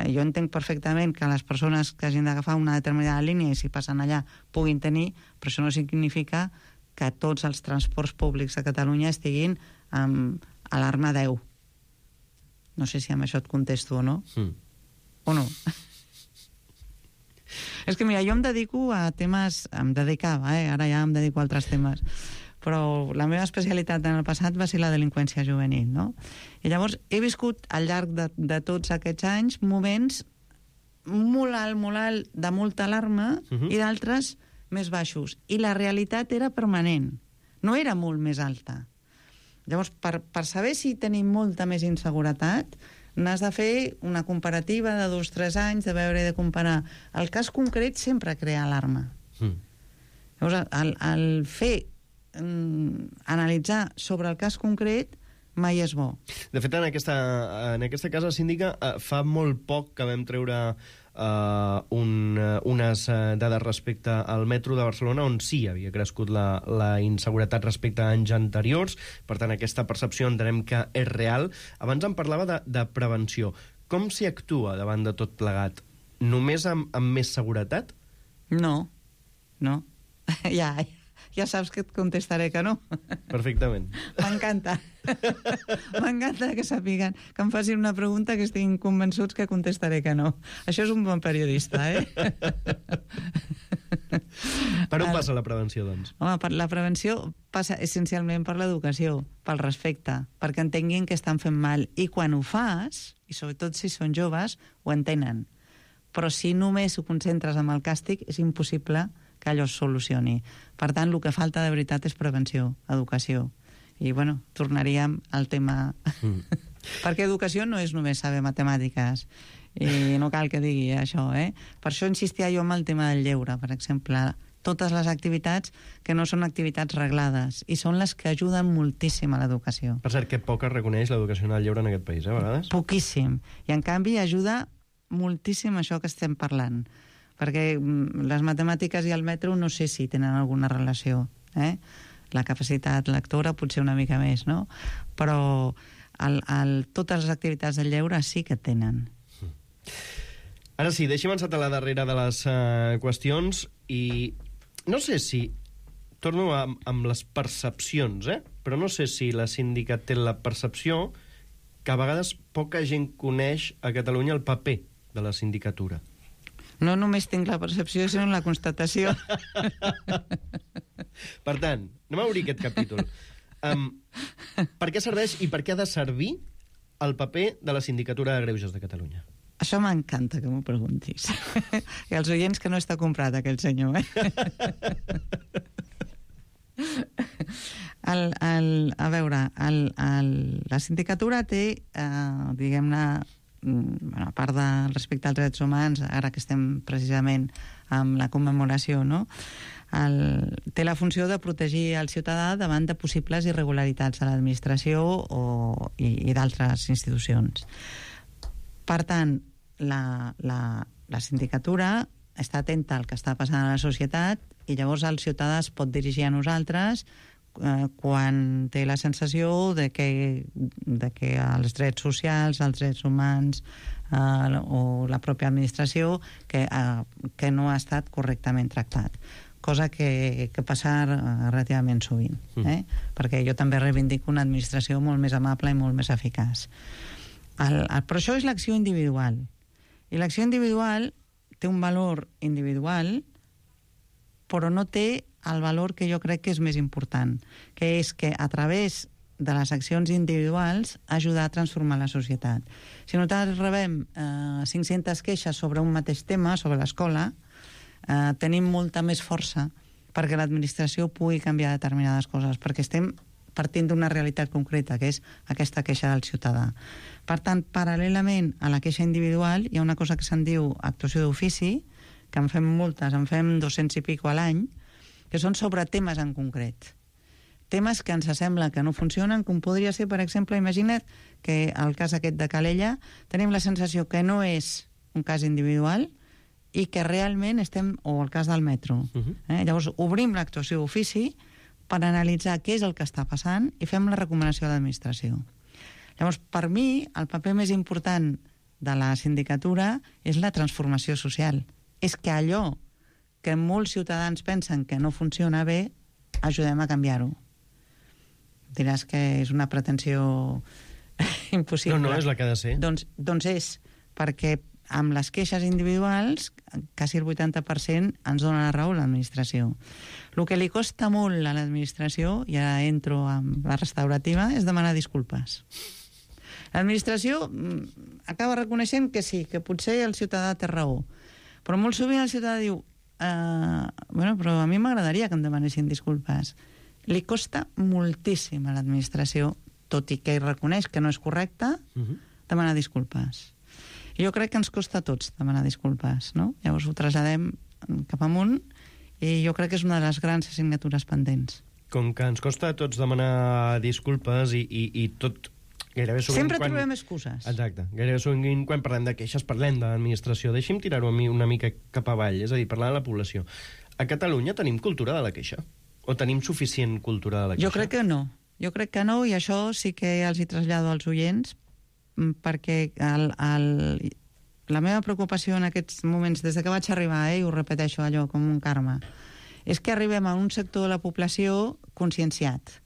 [SPEAKER 8] Jo entenc perfectament que les persones que hagin d'agafar una determinada línia i si passen allà puguin tenir, però això no significa que tots els transports públics de Catalunya estiguin amb alarma 10. No sé si amb això et contesto o no. O no. És que, mira, jo em dedico a temes... Em dedicava, ara ja em dedico a altres temes. Però la meva especialitat en el passat va ser la delinqüència juvenil, no? I llavors he viscut al llarg de tots aquests anys moments molt alt, de molta alarma, i d'altres més baixos. I la realitat era permanent, no era molt més alta. Llavors, per saber si tenim molta més inseguretat, n'has de fer una comparativa de 2-3 anys, de veure i de comparar. El cas concret sempre crea alarma. Llavors, el fer analitzar sobre el cas concret mai és bo.
[SPEAKER 7] De fet, en aquesta casa síndica fa molt poc que vam treure unes dades respecte al metro de Barcelona on sí havia crescut la inseguretat respecte a anys anteriors. Per tant, aquesta percepció entenem que és real. Abans em parlava de prevenció. Com s'hi actua davant de tot plegat? Només amb més seguretat?
[SPEAKER 8] No. Ja saps que et contestaré que no.
[SPEAKER 7] Perfectament.
[SPEAKER 8] M'encanta. M'encanta que sàpiguen, que em facin una pregunta que estiguin convençuts que contestaré que no. Això és un bon periodista,
[SPEAKER 7] Per on passa la prevenció, doncs?
[SPEAKER 8] Home, la prevenció passa essencialment per l'educació, pel respecte, perquè entenguin que estan fent mal. I quan ho fas, i sobretot si són joves, ho entenen. Però si només ho concentres en el càstig, és impossible que allò es solucioni. Per tant, el que falta de veritat és prevenció, educació. I, bueno, tornaríem al tema... Perquè educació no és només saber matemàtiques, i no cal que digui això, Per això insistia jo en el tema del lleure, per exemple. Totes les activitats que no són activitats reglades, i són les que ajuden moltíssim a l'educació.
[SPEAKER 7] Per cert, que poc es reconeix l'educació en el lleure en aquest país, a vegades?
[SPEAKER 8] Poquíssim. I, en canvi, ajuda moltíssim això que estem parlant. Perquè les matemàtiques i el metro no sé si tenen alguna relació. La capacitat lectora potser una mica més, no? Però totes les activitats del lleure sí que tenen.
[SPEAKER 7] Ara sí, deixem encetar la darrera de les qüestions i no sé si... Torno amb les percepcions, però no sé si la síndica té la percepció que a vegades poca gent coneix a Catalunya el paper de la sindicatura.
[SPEAKER 8] No només tinc la percepció, sinó la constatació.
[SPEAKER 7] Per tant, anem a obrir aquest capítol. Per què serveix i per què ha de servir el paper de la Sindicatura de Greuges de Catalunya?
[SPEAKER 8] Això m'encanta que m'ho preguntis. I els oients que no està comprat, aquell senyor, A veure, la sindicatura té, diguem-ne, a part del respecte als drets humans, ara que estem precisament amb la commemoració, no? Té la funció de protegir el ciutadà davant de possibles irregularitats a l'administració i d'altres institucions. Per tant, la sindicatura està atenta al que està passant a la societat i llavors el ciutadà es pot dirigir a nosaltres quan té la sensació de que els drets socials, els drets humans o la pròpia administració que no ha estat correctament tractat. Cosa que passa relativament sovint, perquè jo també reivindico una administració molt més amable i molt més eficaç. Però això és l'acció individual. I l'acció individual té un valor individual, però no té el valor que jo crec que és més important, que és que a través de les accions individuals ajudar a transformar la societat. Si nosaltres rebem 500 queixes sobre un mateix tema, sobre l'escola, tenim molta més força perquè l'administració pugui canviar determinades coses, perquè estem partint d'una realitat concreta, que és aquesta queixa del ciutadà. Per tant, paral·lelament a la queixa individual, hi ha una cosa que se'n diu actuació d'ofici, que en fem moltes, en fem 200 i pico a l'any, que són sobre temes en concret. Temes que ens sembla que no funcionen, com podria ser, per exemple, imagina't que el cas aquest de Calella tenim la sensació que no és un cas individual i que realment estem... o el cas del metro. Llavors, obrim l'actuació d'ofici per analitzar què és el que està passant i fem la recomanació a l'administració. Llavors, per mi, el paper més important de la sindicatura és la transformació social. És que allò que molts ciutadans pensen que no funciona bé, ajudem a canviar-ho. Diràs que és una pretensió impossible.
[SPEAKER 7] No, és la que ha de ser.
[SPEAKER 8] Doncs és, perquè amb les queixes individuals, quasi el 80% ens dona la raó l'administració. El que li costa molt a l'administració, ja entro amb la restaurativa, és demanar disculpes. L'administració acaba reconeixent que sí, que potser el ciutadà té raó, però molt sovint el ciutadà diu però a mi m'agradaria que em demanessin disculpes. Li costa moltíssim a l'administració, tot i que reconeix que no és correcte, demanar disculpes. Jo crec que ens costa a tots demanar disculpes, no? Llavors ho traslladem cap amunt i jo crec que és una de les grans assignatures pendents.
[SPEAKER 7] Com que ens costa a tots demanar disculpes i tot...
[SPEAKER 8] Sempre trobem excuses.
[SPEAKER 7] Exacte. Gairebé sovint quan parlem de queixes parlem de l'administració. Deixi'm tirar-ho a mi una mica cap avall, és a dir, parlar de la població. A Catalunya tenim cultura de la queixa? O tenim suficient cultura de la queixa?
[SPEAKER 8] Jo crec que no. Jo crec que no, i això sí que els hi trasllado als oients, perquè la meva preocupació en aquests moments, des que vaig arribar, i ho repeteixo allò com un karma, és que arribem a un sector de la població conscienciat,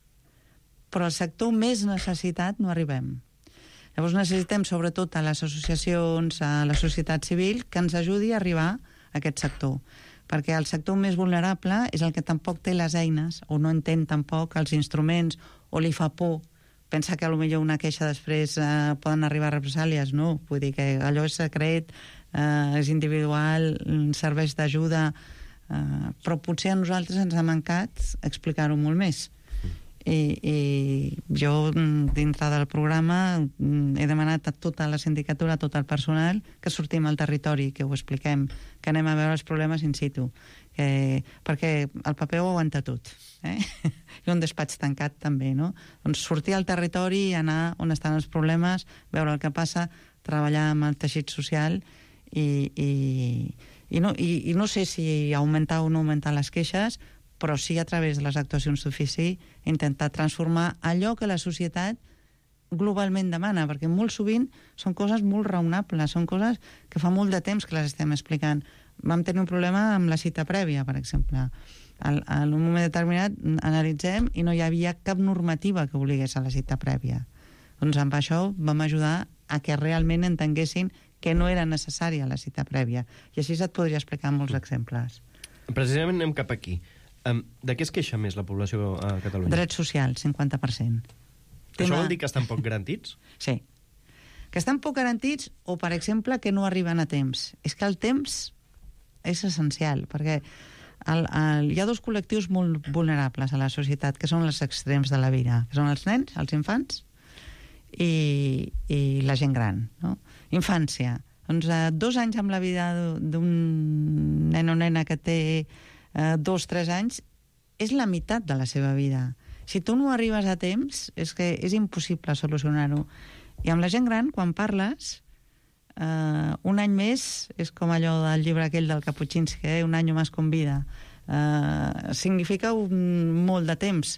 [SPEAKER 8] però al sector més necessitat no arribem. Llavors necessitem sobretot a les associacions, a la societat civil, que ens ajudi a arribar a aquest sector, perquè el sector més vulnerable és el que tampoc té les eines, o no entén tampoc els instruments, o li fa por pensa que potser una queixa després poden arribar a represàlies. No, vull dir que allò és secret, és individual, serveix d'ajuda, però potser a nosaltres ens ha mancat explicar-ho molt més. I jo, dintre del programa, he demanat a tota la sindicatura, a tot el personal, que sortim al territori, que ho expliquem, que anem a veure els problemes in situ, perquè el paper ho aguanta tot, i un despatx tancat també, no? Doncs sortir al territori, anar on estan els problemes, veure el que passa, treballar amb el teixit social i no sé si augmentar o no augmentar les queixes, però sí a través de les actuacions d'ofici intentar transformar allò que la societat globalment demana, perquè molt sovint són coses molt raonables, són coses que fa molt de temps que les estem explicant. Vam tenir un problema amb la cita prèvia, per exemple. En un moment determinat analitzem i no hi havia cap normativa que obligués a la cita prèvia. Doncs amb això vam ajudar a que realment entenguessin que no era necessària la cita prèvia. I així et podria explicar molts exemples.
[SPEAKER 7] Precisament anem cap aquí. De què es queixa més la població a Catalunya?
[SPEAKER 8] Drets socials, 50%.
[SPEAKER 7] Això vol dir que estan poc garantits?
[SPEAKER 8] Sí. Que estan poc garantits o, per exemple, que no arriben a temps. És que el temps és essencial, perquè hi ha dos col·lectius molt vulnerables a la societat, que són els extrems de la vida, que són els nens, els infants, i la gent gran, no? Infància. Doncs 2 anys amb la vida d'un nen o nena que té 2-3 anys és la meitat de la seva vida. Si tu no arribes a temps, és que és impossible solucionar-ho. I amb la gent gran, quan parles, un any més és com allò del llibre aquell del Kapuscinski, un any més con vida. Significa molt de temps.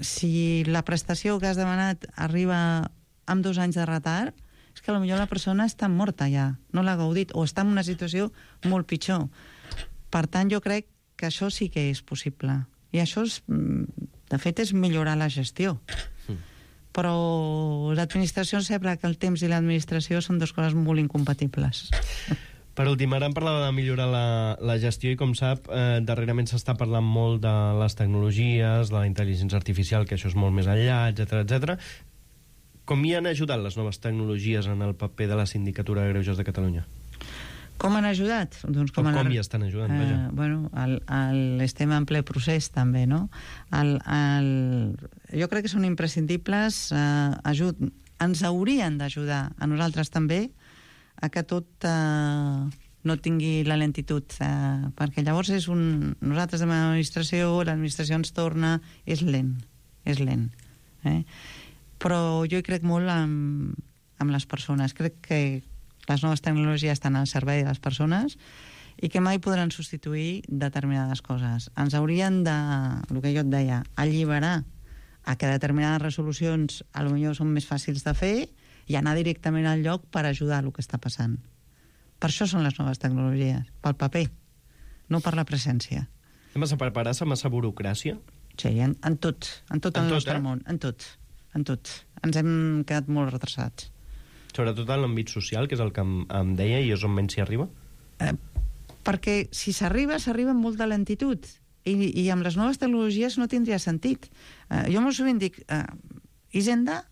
[SPEAKER 8] Si la prestació que has demanat arriba amb 2 anys de retard, és que potser la persona està morta ja, no l'ha gaudit, o està en una situació molt pitjor. Per tant, jo crec que això sí que és possible. I això, de fet, és millorar la gestió. Però l'administració sembla que el temps i l'administració són dues coses molt incompatibles.
[SPEAKER 7] Per últim, ara em parlava de millorar la gestió i, com sap, darrerament s'està parlant molt de les tecnologies, de la intel·ligència artificial, que això és molt més enllà, etc. Com hi han ajudat les noves tecnologies en el paper de la Sindicatura de Greuges de Catalunya?
[SPEAKER 8] Com han ajudat? Doncs
[SPEAKER 7] com hi estan ajudant, vaja?
[SPEAKER 8] Bueno, estem en ple procés, també, no? Jo crec que són imprescindibles, ens haurien d'ajudar a nosaltres també a que tot no tingui la lentitud, perquè llavors nosaltres de l'administració ens torna, és lent. Però jo hi crec molt amb les persones, crec que les noves tecnologies estan al servei de les persones i que mai podran substituir determinades coses. Ens haurien de, el que jo et deia, alliberar a que determinades resolucions potser són més fàcils de fer i anar directament al lloc per ajudar el que està passant. Per això són les noves tecnologies, pel paper, no per la presència.
[SPEAKER 7] Hem de preparar-se massa burocràcia?
[SPEAKER 8] Sí, en tot el nostre món, en tot. Ens hem quedat molt retrasats.
[SPEAKER 7] Sobretot en l'àmbit social, que és el que em deia, i és on menys s'hi arriba?
[SPEAKER 8] Perquè si s'arriba amb molta lentitud. I amb les noves tecnologies no tindria sentit. Jo molt sovint dic, Hisenda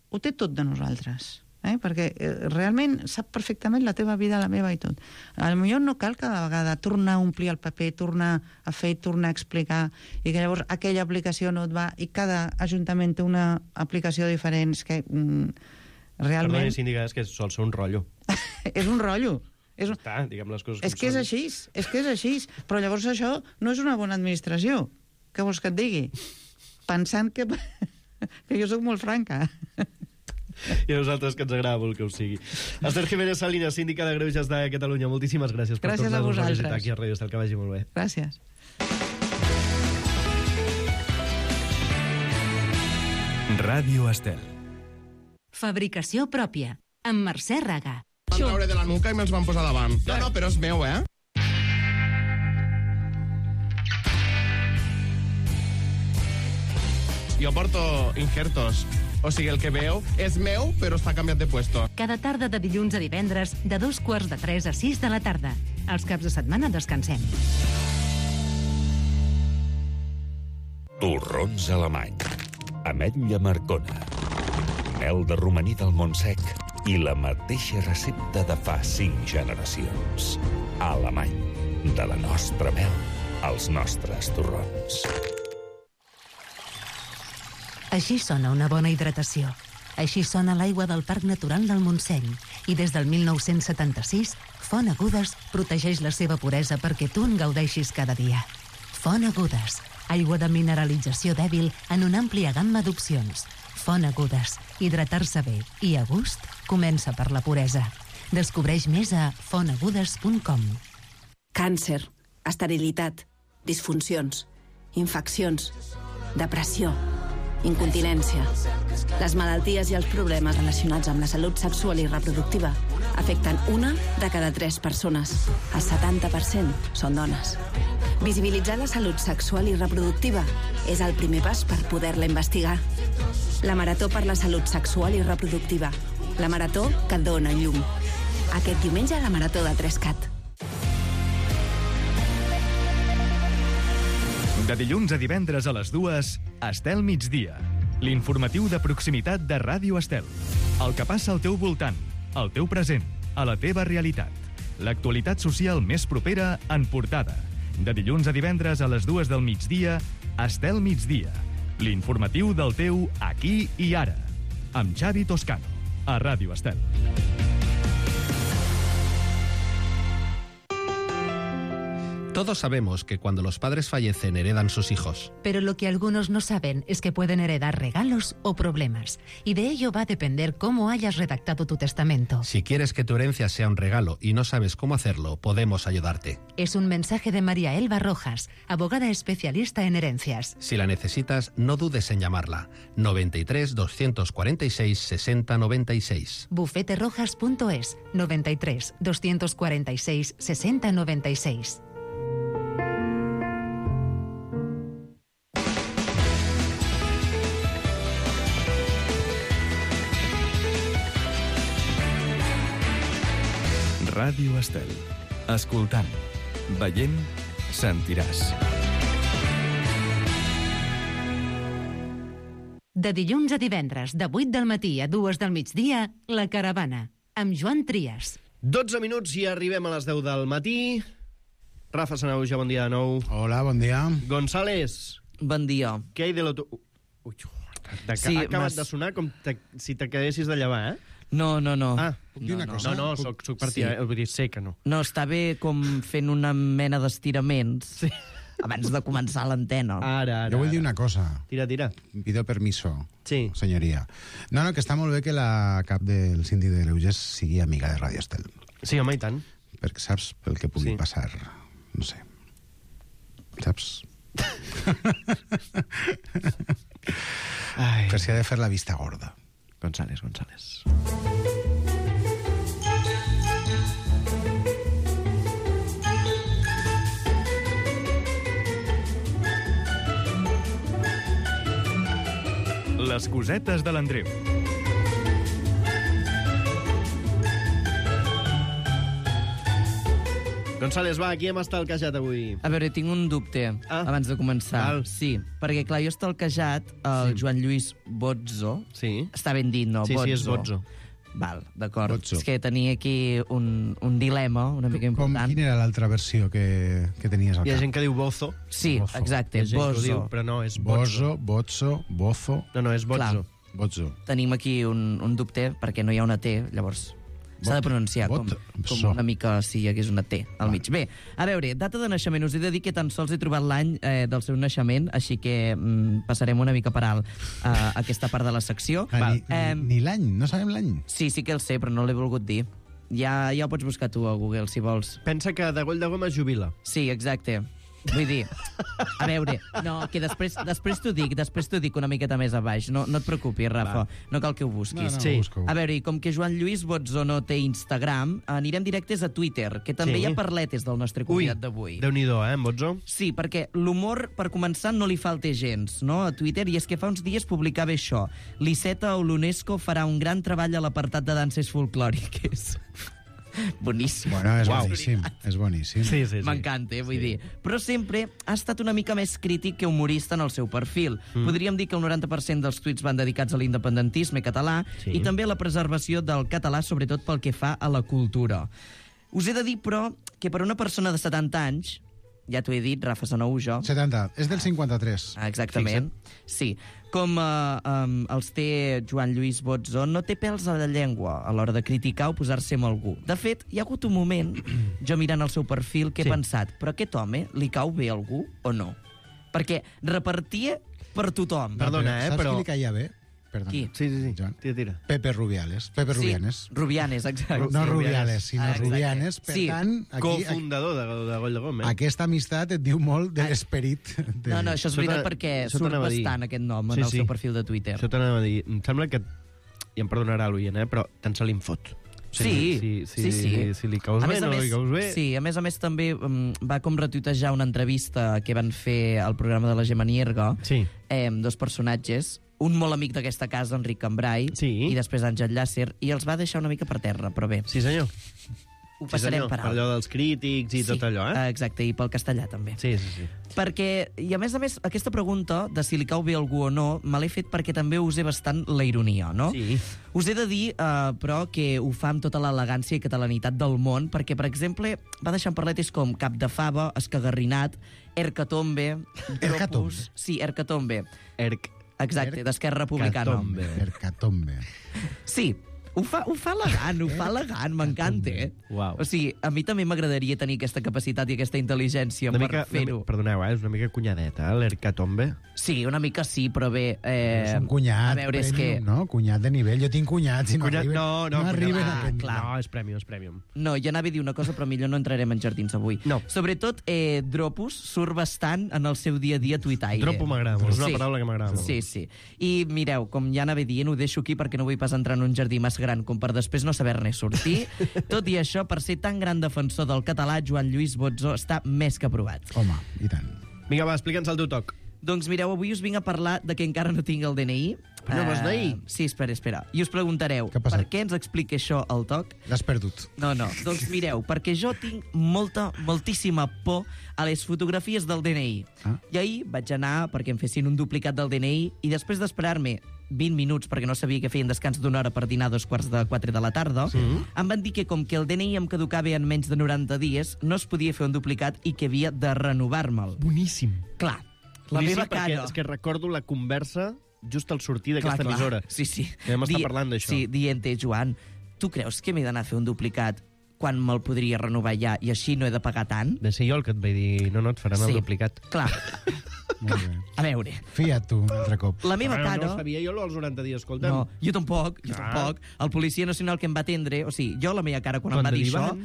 [SPEAKER 8] ho té tot de nosaltres, perquè realment sap perfectament la teva vida, la meva i tot. Potser no cal cada vegada tornar a omplir el paper, tornar a fer, tornar a explicar, i que llavors aquella aplicació no et va, i cada ajuntament té una aplicació diferent, que realment...
[SPEAKER 7] Perdoni, síndica, és que sol ser un rotllo.
[SPEAKER 8] És un rotllo.
[SPEAKER 7] Està, diguem les coses
[SPEAKER 8] és que és així, però llavors això no és una bona administració. Què vols que et digui? Pensant que jo sóc molt franca.
[SPEAKER 7] I a nosaltres que ens agrada molt que ho sigui. Esther Jiménez Salinas, síndica de Greuges de Catalunya, moltíssimes gràcies per tornar-nos a visitar aquí a Ràdio Estel, que vagi molt bé.
[SPEAKER 8] Gràcies.
[SPEAKER 2] Ràdio Estel.
[SPEAKER 4] Fabricació pròpia, amb Mercè Raga.
[SPEAKER 9] Van traure de la nuca i me'ls van posar davant. No, però és meu, Jo porto injertos. O sigui, el que veu és meu, però està canviat de puesto.
[SPEAKER 4] Cada tarda de dilluns a divendres, de 2:45 a 6 de la tarda. Els caps de setmana descansem.
[SPEAKER 6] Torrons alemany. Ametlla marcona. Mel de romaní del Montsec i la mateixa recepta de fa 5 generacions. Alemany. De la nostra mel als nostres torrons.
[SPEAKER 10] Així sona una bona hidratació. Així sona l'aigua del Parc Natural del Montseny. I des del 1976, Font Agudes protegeix la seva puresa perquè tu en gaudeixis cada dia. Font Agudes. Aigua de mineralització dèbil en una àmplia gamma d'opcions. Font Agudes. Hidratar-se bé i a gust comença per la puresa. Descobreix més a fontagudes.com.
[SPEAKER 11] Càncer, esterilitat, disfuncions, infeccions, depressió, incontinència. Les malalties i els problemes relacionats amb la salut sexual i reproductiva afecten 1 de cada 3 persones. El 70% són dones. Visibilitzar la salut sexual i reproductiva és el primer pas per poder-la investigar. La Marató per la Salut Sexual i Reproductiva. La marató que dona llum. Aquest diumenge a la Marató de 3CAT.
[SPEAKER 3] De dilluns a divendres a les 2, Estel Migdia. L'informatiu de proximitat de Ràdio Estel. El que passa al teu voltant, al teu present, a la teva realitat. L'actualitat social més propera en portada. De dilluns a divendres a les 2 del migdia, Estel Migdia. L'informatiu del teu aquí i ara. Amb Xavi Toscano, a Ràdio Estel.
[SPEAKER 12] Todos sabemos que cuando los padres fallecen heredan sus hijos.
[SPEAKER 10] Pero lo que algunos no saben es que pueden heredar regalos o problemas. Y de ello va a depender cómo hayas redactado tu testamento.
[SPEAKER 12] Si quieres que tu herencia sea un regalo y no sabes cómo hacerlo, podemos ayudarte.
[SPEAKER 10] Es un mensaje de María Elba Rojas, abogada especialista en herencias.
[SPEAKER 12] Si la necesitas, no dudes en llamarla. 93 246 60 96.
[SPEAKER 10] Bufeterojas.es 93 246 60 96.
[SPEAKER 2] Ràdio Estel. Escoltant, veient, sentiràs.
[SPEAKER 4] De dilluns a divendres, de 8 del matí a 2 del migdia, La Caravana, amb Joan Trias.
[SPEAKER 7] 12 minuts i arribem a les 10 del matí. Rafa Sanauja, bon dia de nou.
[SPEAKER 13] Hola, bon dia.
[SPEAKER 7] González.
[SPEAKER 14] Bon dia.
[SPEAKER 7] Què hi de l'auto... Ui, sí, ha acabat de sonar com si t'acabessis de llevar,
[SPEAKER 14] No.
[SPEAKER 7] Ah,
[SPEAKER 13] puc dir una cosa?
[SPEAKER 7] No, soc partida, vull dir, sé que no.
[SPEAKER 14] No, està bé com fent una mena d'estiraments abans de començar l'antena.
[SPEAKER 7] Ara.
[SPEAKER 13] Jo vull dir una cosa.
[SPEAKER 7] Tira.
[SPEAKER 13] Pido permiso,
[SPEAKER 7] sí.
[SPEAKER 13] Senyoria. No, que està molt bé que la cap del síndic de Greuges sigui amiga de Ràdio Estel.
[SPEAKER 7] Sí, home, i tant.
[SPEAKER 13] Perquè saps pel que pugui passar, no sé. Saps? Per si ha de fer la vista gorda.
[SPEAKER 7] González.
[SPEAKER 3] Les cosetes de l'Andreu.
[SPEAKER 7] González, va, aquí hem estalquejat avui.
[SPEAKER 14] A veure, tinc un dubte abans de començar.
[SPEAKER 7] Val.
[SPEAKER 14] Sí, perquè, clar, jo he estalquejat el Joan Lluís Bozzo.
[SPEAKER 7] Sí.
[SPEAKER 14] Està ben dit, no?
[SPEAKER 7] Sí, sí, és Bozzo.
[SPEAKER 14] Val, d'acord.
[SPEAKER 13] Bozzo.
[SPEAKER 14] És que tenia aquí un dilema una mica important.
[SPEAKER 13] Quina era l'altra versió que tenies al
[SPEAKER 7] Hi ha
[SPEAKER 13] cap?
[SPEAKER 7] gent que diu Bozo.
[SPEAKER 14] Sí,
[SPEAKER 13] Bozo.
[SPEAKER 14] exacte,
[SPEAKER 7] Hi ha gent que ho
[SPEAKER 14] Bozzo.
[SPEAKER 7] diu, però no, és Bozzo.
[SPEAKER 13] Bozo.
[SPEAKER 7] No, és Bozzo.
[SPEAKER 13] Bozzo.
[SPEAKER 14] Tenim aquí un dubte, perquè no hi ha una T, llavors s'ha de pronunciar com una mica si hi hagués una T al mig. Bé, a veure, data de naixement. Us he de dir que tan sols he trobat l'any del seu naixement, així que passarem una mica per alt aquesta part de la secció.
[SPEAKER 13] Ni l'any, no sabem l'any.
[SPEAKER 14] Sí, sí que el sé, però no l'he volgut dir. Ja ho pots buscar tu a Google, si vols.
[SPEAKER 7] Pensa que de Goll de Goma es jubila.
[SPEAKER 14] Sí, exacte. Vull dir, a veure, no, que després t'ho dic una miqueta més a baix. No et preocupis, Rafa, no cal que ho busquis.
[SPEAKER 13] No, busco.
[SPEAKER 14] A veure, i com que Joan Lluís Bozzo no té Instagram, anirem directes a Twitter, que també hi ha parletes del nostre convidat d'avui.
[SPEAKER 7] Déu-n'hi-do, Bozzo?
[SPEAKER 14] Sí, perquè l'humor, per començar, no li falta gens, no?, a Twitter, i és que fa uns dies publicava això. L'Iceta o l'UNESCO farà un gran treball a l'apartat de danses folclòriques. Boníssim.
[SPEAKER 13] Bueno, és boníssim, és boníssim.
[SPEAKER 7] Sí.
[SPEAKER 14] M'encanta, vull dir. Però sempre ha estat una mica més crític que humorista en el seu perfil. Podríem dir que el 90% dels tuits van dedicats a l'independentisme català i també a la preservació del català, sobretot pel que fa a la cultura. Us he de dir, però, que per una persona de 70 anys, ja t'ho he dit, Rafa Sanou, jo...
[SPEAKER 13] 70, és del 53.
[SPEAKER 14] Exactament, sí. Com els té Joan Lluís Bozzo, no té pèls a la llengua a l'hora de criticar o posar-se amb algú. De fet, hi ha hagut un moment, jo mirant el seu perfil, que he pensat, però aquest home li cau bé a algú o no? Perquè repartia per tothom.
[SPEAKER 7] Perdona,
[SPEAKER 13] Saps
[SPEAKER 7] però...
[SPEAKER 13] qui li caia bé? Perdona.
[SPEAKER 14] Qui?
[SPEAKER 7] Sí.
[SPEAKER 13] Joan.
[SPEAKER 7] Tira.
[SPEAKER 13] Pepe Rubiales.
[SPEAKER 14] Sí, Rubianes, exacte.
[SPEAKER 13] No Rubiales, sinó Rubianes. Per tant, aquí,
[SPEAKER 7] cofundador de Goll de Goma.
[SPEAKER 13] aquesta amistat et diu molt de l'esperit.
[SPEAKER 14] No, això és veritat perquè surt bastant aquest nom en el seu perfil de Twitter.
[SPEAKER 7] Això t'anava a dir. Em sembla que, i em perdonarà l'oient, però tant se li en fot.
[SPEAKER 14] Sí.
[SPEAKER 7] Si li caus bé, no li caus bé...
[SPEAKER 14] Sí, a més també va com retuitejar una entrevista que van fer al programa de la Gemma Nierga, dos personatges, un molt amic d'aquesta casa, Enric Cambrai, i després Àngel Llàcer, i els va deixar una mica per terra, però bé.
[SPEAKER 7] Sí, senyor.
[SPEAKER 14] Ho passarem per alt.
[SPEAKER 7] Per allò dels crítics i tot allò,
[SPEAKER 14] Exacte, i pel castellà també.
[SPEAKER 7] Sí.
[SPEAKER 14] Perquè, i a més, aquesta pregunta de si li cau bé a algú o no, me l'he fet perquè també usé bastant la ironia, no?
[SPEAKER 7] Sí.
[SPEAKER 14] Us he de dir, però, que ho fa amb tota l'elegància i catalanitat del món, perquè, per exemple, va deixar parletes com cap de fava, escagarrinat, ercatombe, dropus... Sí, ercatombe. Exacte, d'Esquerra Republicana.
[SPEAKER 13] Ercatombe.
[SPEAKER 14] Sí, ho fa elegant, m'encanta.
[SPEAKER 7] Uau.
[SPEAKER 14] O sigui, a mi també m'agradaria tenir aquesta capacitat i aquesta intel·ligència per fer-ho.
[SPEAKER 7] Perdoneu, és una mica cunyadeta, l'Ercatombe.
[SPEAKER 14] Sí, una mica sí, però bé...
[SPEAKER 13] És un cunyat,
[SPEAKER 14] a veure, és que...
[SPEAKER 13] no? Cunyat de nivell. Jo tinc cunyats i no arriben a aquest
[SPEAKER 7] nivell. No, és premium.
[SPEAKER 14] No, jo anava a dir una cosa, però millor no entrarem en jardins avui.
[SPEAKER 7] No.
[SPEAKER 14] Sobretot, Dropus surt bastant en el seu dia a dia tuitaire.
[SPEAKER 7] Dropo m'agrada molt, és una paraula que m'agrada molt.
[SPEAKER 14] Sí. I mireu, com ja anava dient, ho deixo aquí perquè no vull pas entrar en un jardí massa gran com per després no saber-ne sortir. Tot i això, per ser tan gran defensor del català, Joan Lluís Bozzo està més que aprovat.
[SPEAKER 13] Home, i tant.
[SPEAKER 7] Vinga, va, explica'ns el teu toc.
[SPEAKER 14] Doncs mireu, avui us vinc a parlar de que encara no tinc el DNI.
[SPEAKER 7] Però no vas d'ahir?
[SPEAKER 14] Sí, espera. I us preguntareu, per què ens explica això el toc?
[SPEAKER 13] L'has perdut.
[SPEAKER 14] No. Doncs mireu, perquè jo tinc moltíssima por a les fotografies del DNI. I ahir vaig anar perquè em fessin un duplicat del DNI i després d'esperar-me 20 minuts, perquè no sabia que feien descans d'una hora per dinar a 3:15 de la tarda, em van dir que com que el DNI em caducava en menys de 90 dies, no es podia fer un duplicat i que havia de renovar-me'l.
[SPEAKER 7] Boníssim.
[SPEAKER 14] Clar, la meva cara...
[SPEAKER 7] És que recordo la conversa just al sortir d'aquesta emissora.
[SPEAKER 14] Sí.
[SPEAKER 7] Que vam estar parlant d'això.
[SPEAKER 14] Sí, dient-te, Joan, tu creus que m'he d'anar a fer un duplicat quan me'l podria renovar ja i així no he de pagar tant?
[SPEAKER 7] De ser jo el que et vaig dir, no, et faran el duplicat.
[SPEAKER 14] Clar.
[SPEAKER 13] Molt bé.
[SPEAKER 14] A veure...
[SPEAKER 13] Fia't tu, un altre cop.
[SPEAKER 14] La meva cara...
[SPEAKER 7] No sabia jo als 90 dies, escolta'm.
[SPEAKER 14] No, jo tampoc. El policia nacional que em va atendre... O sigui, jo la meva cara quan em va dir això...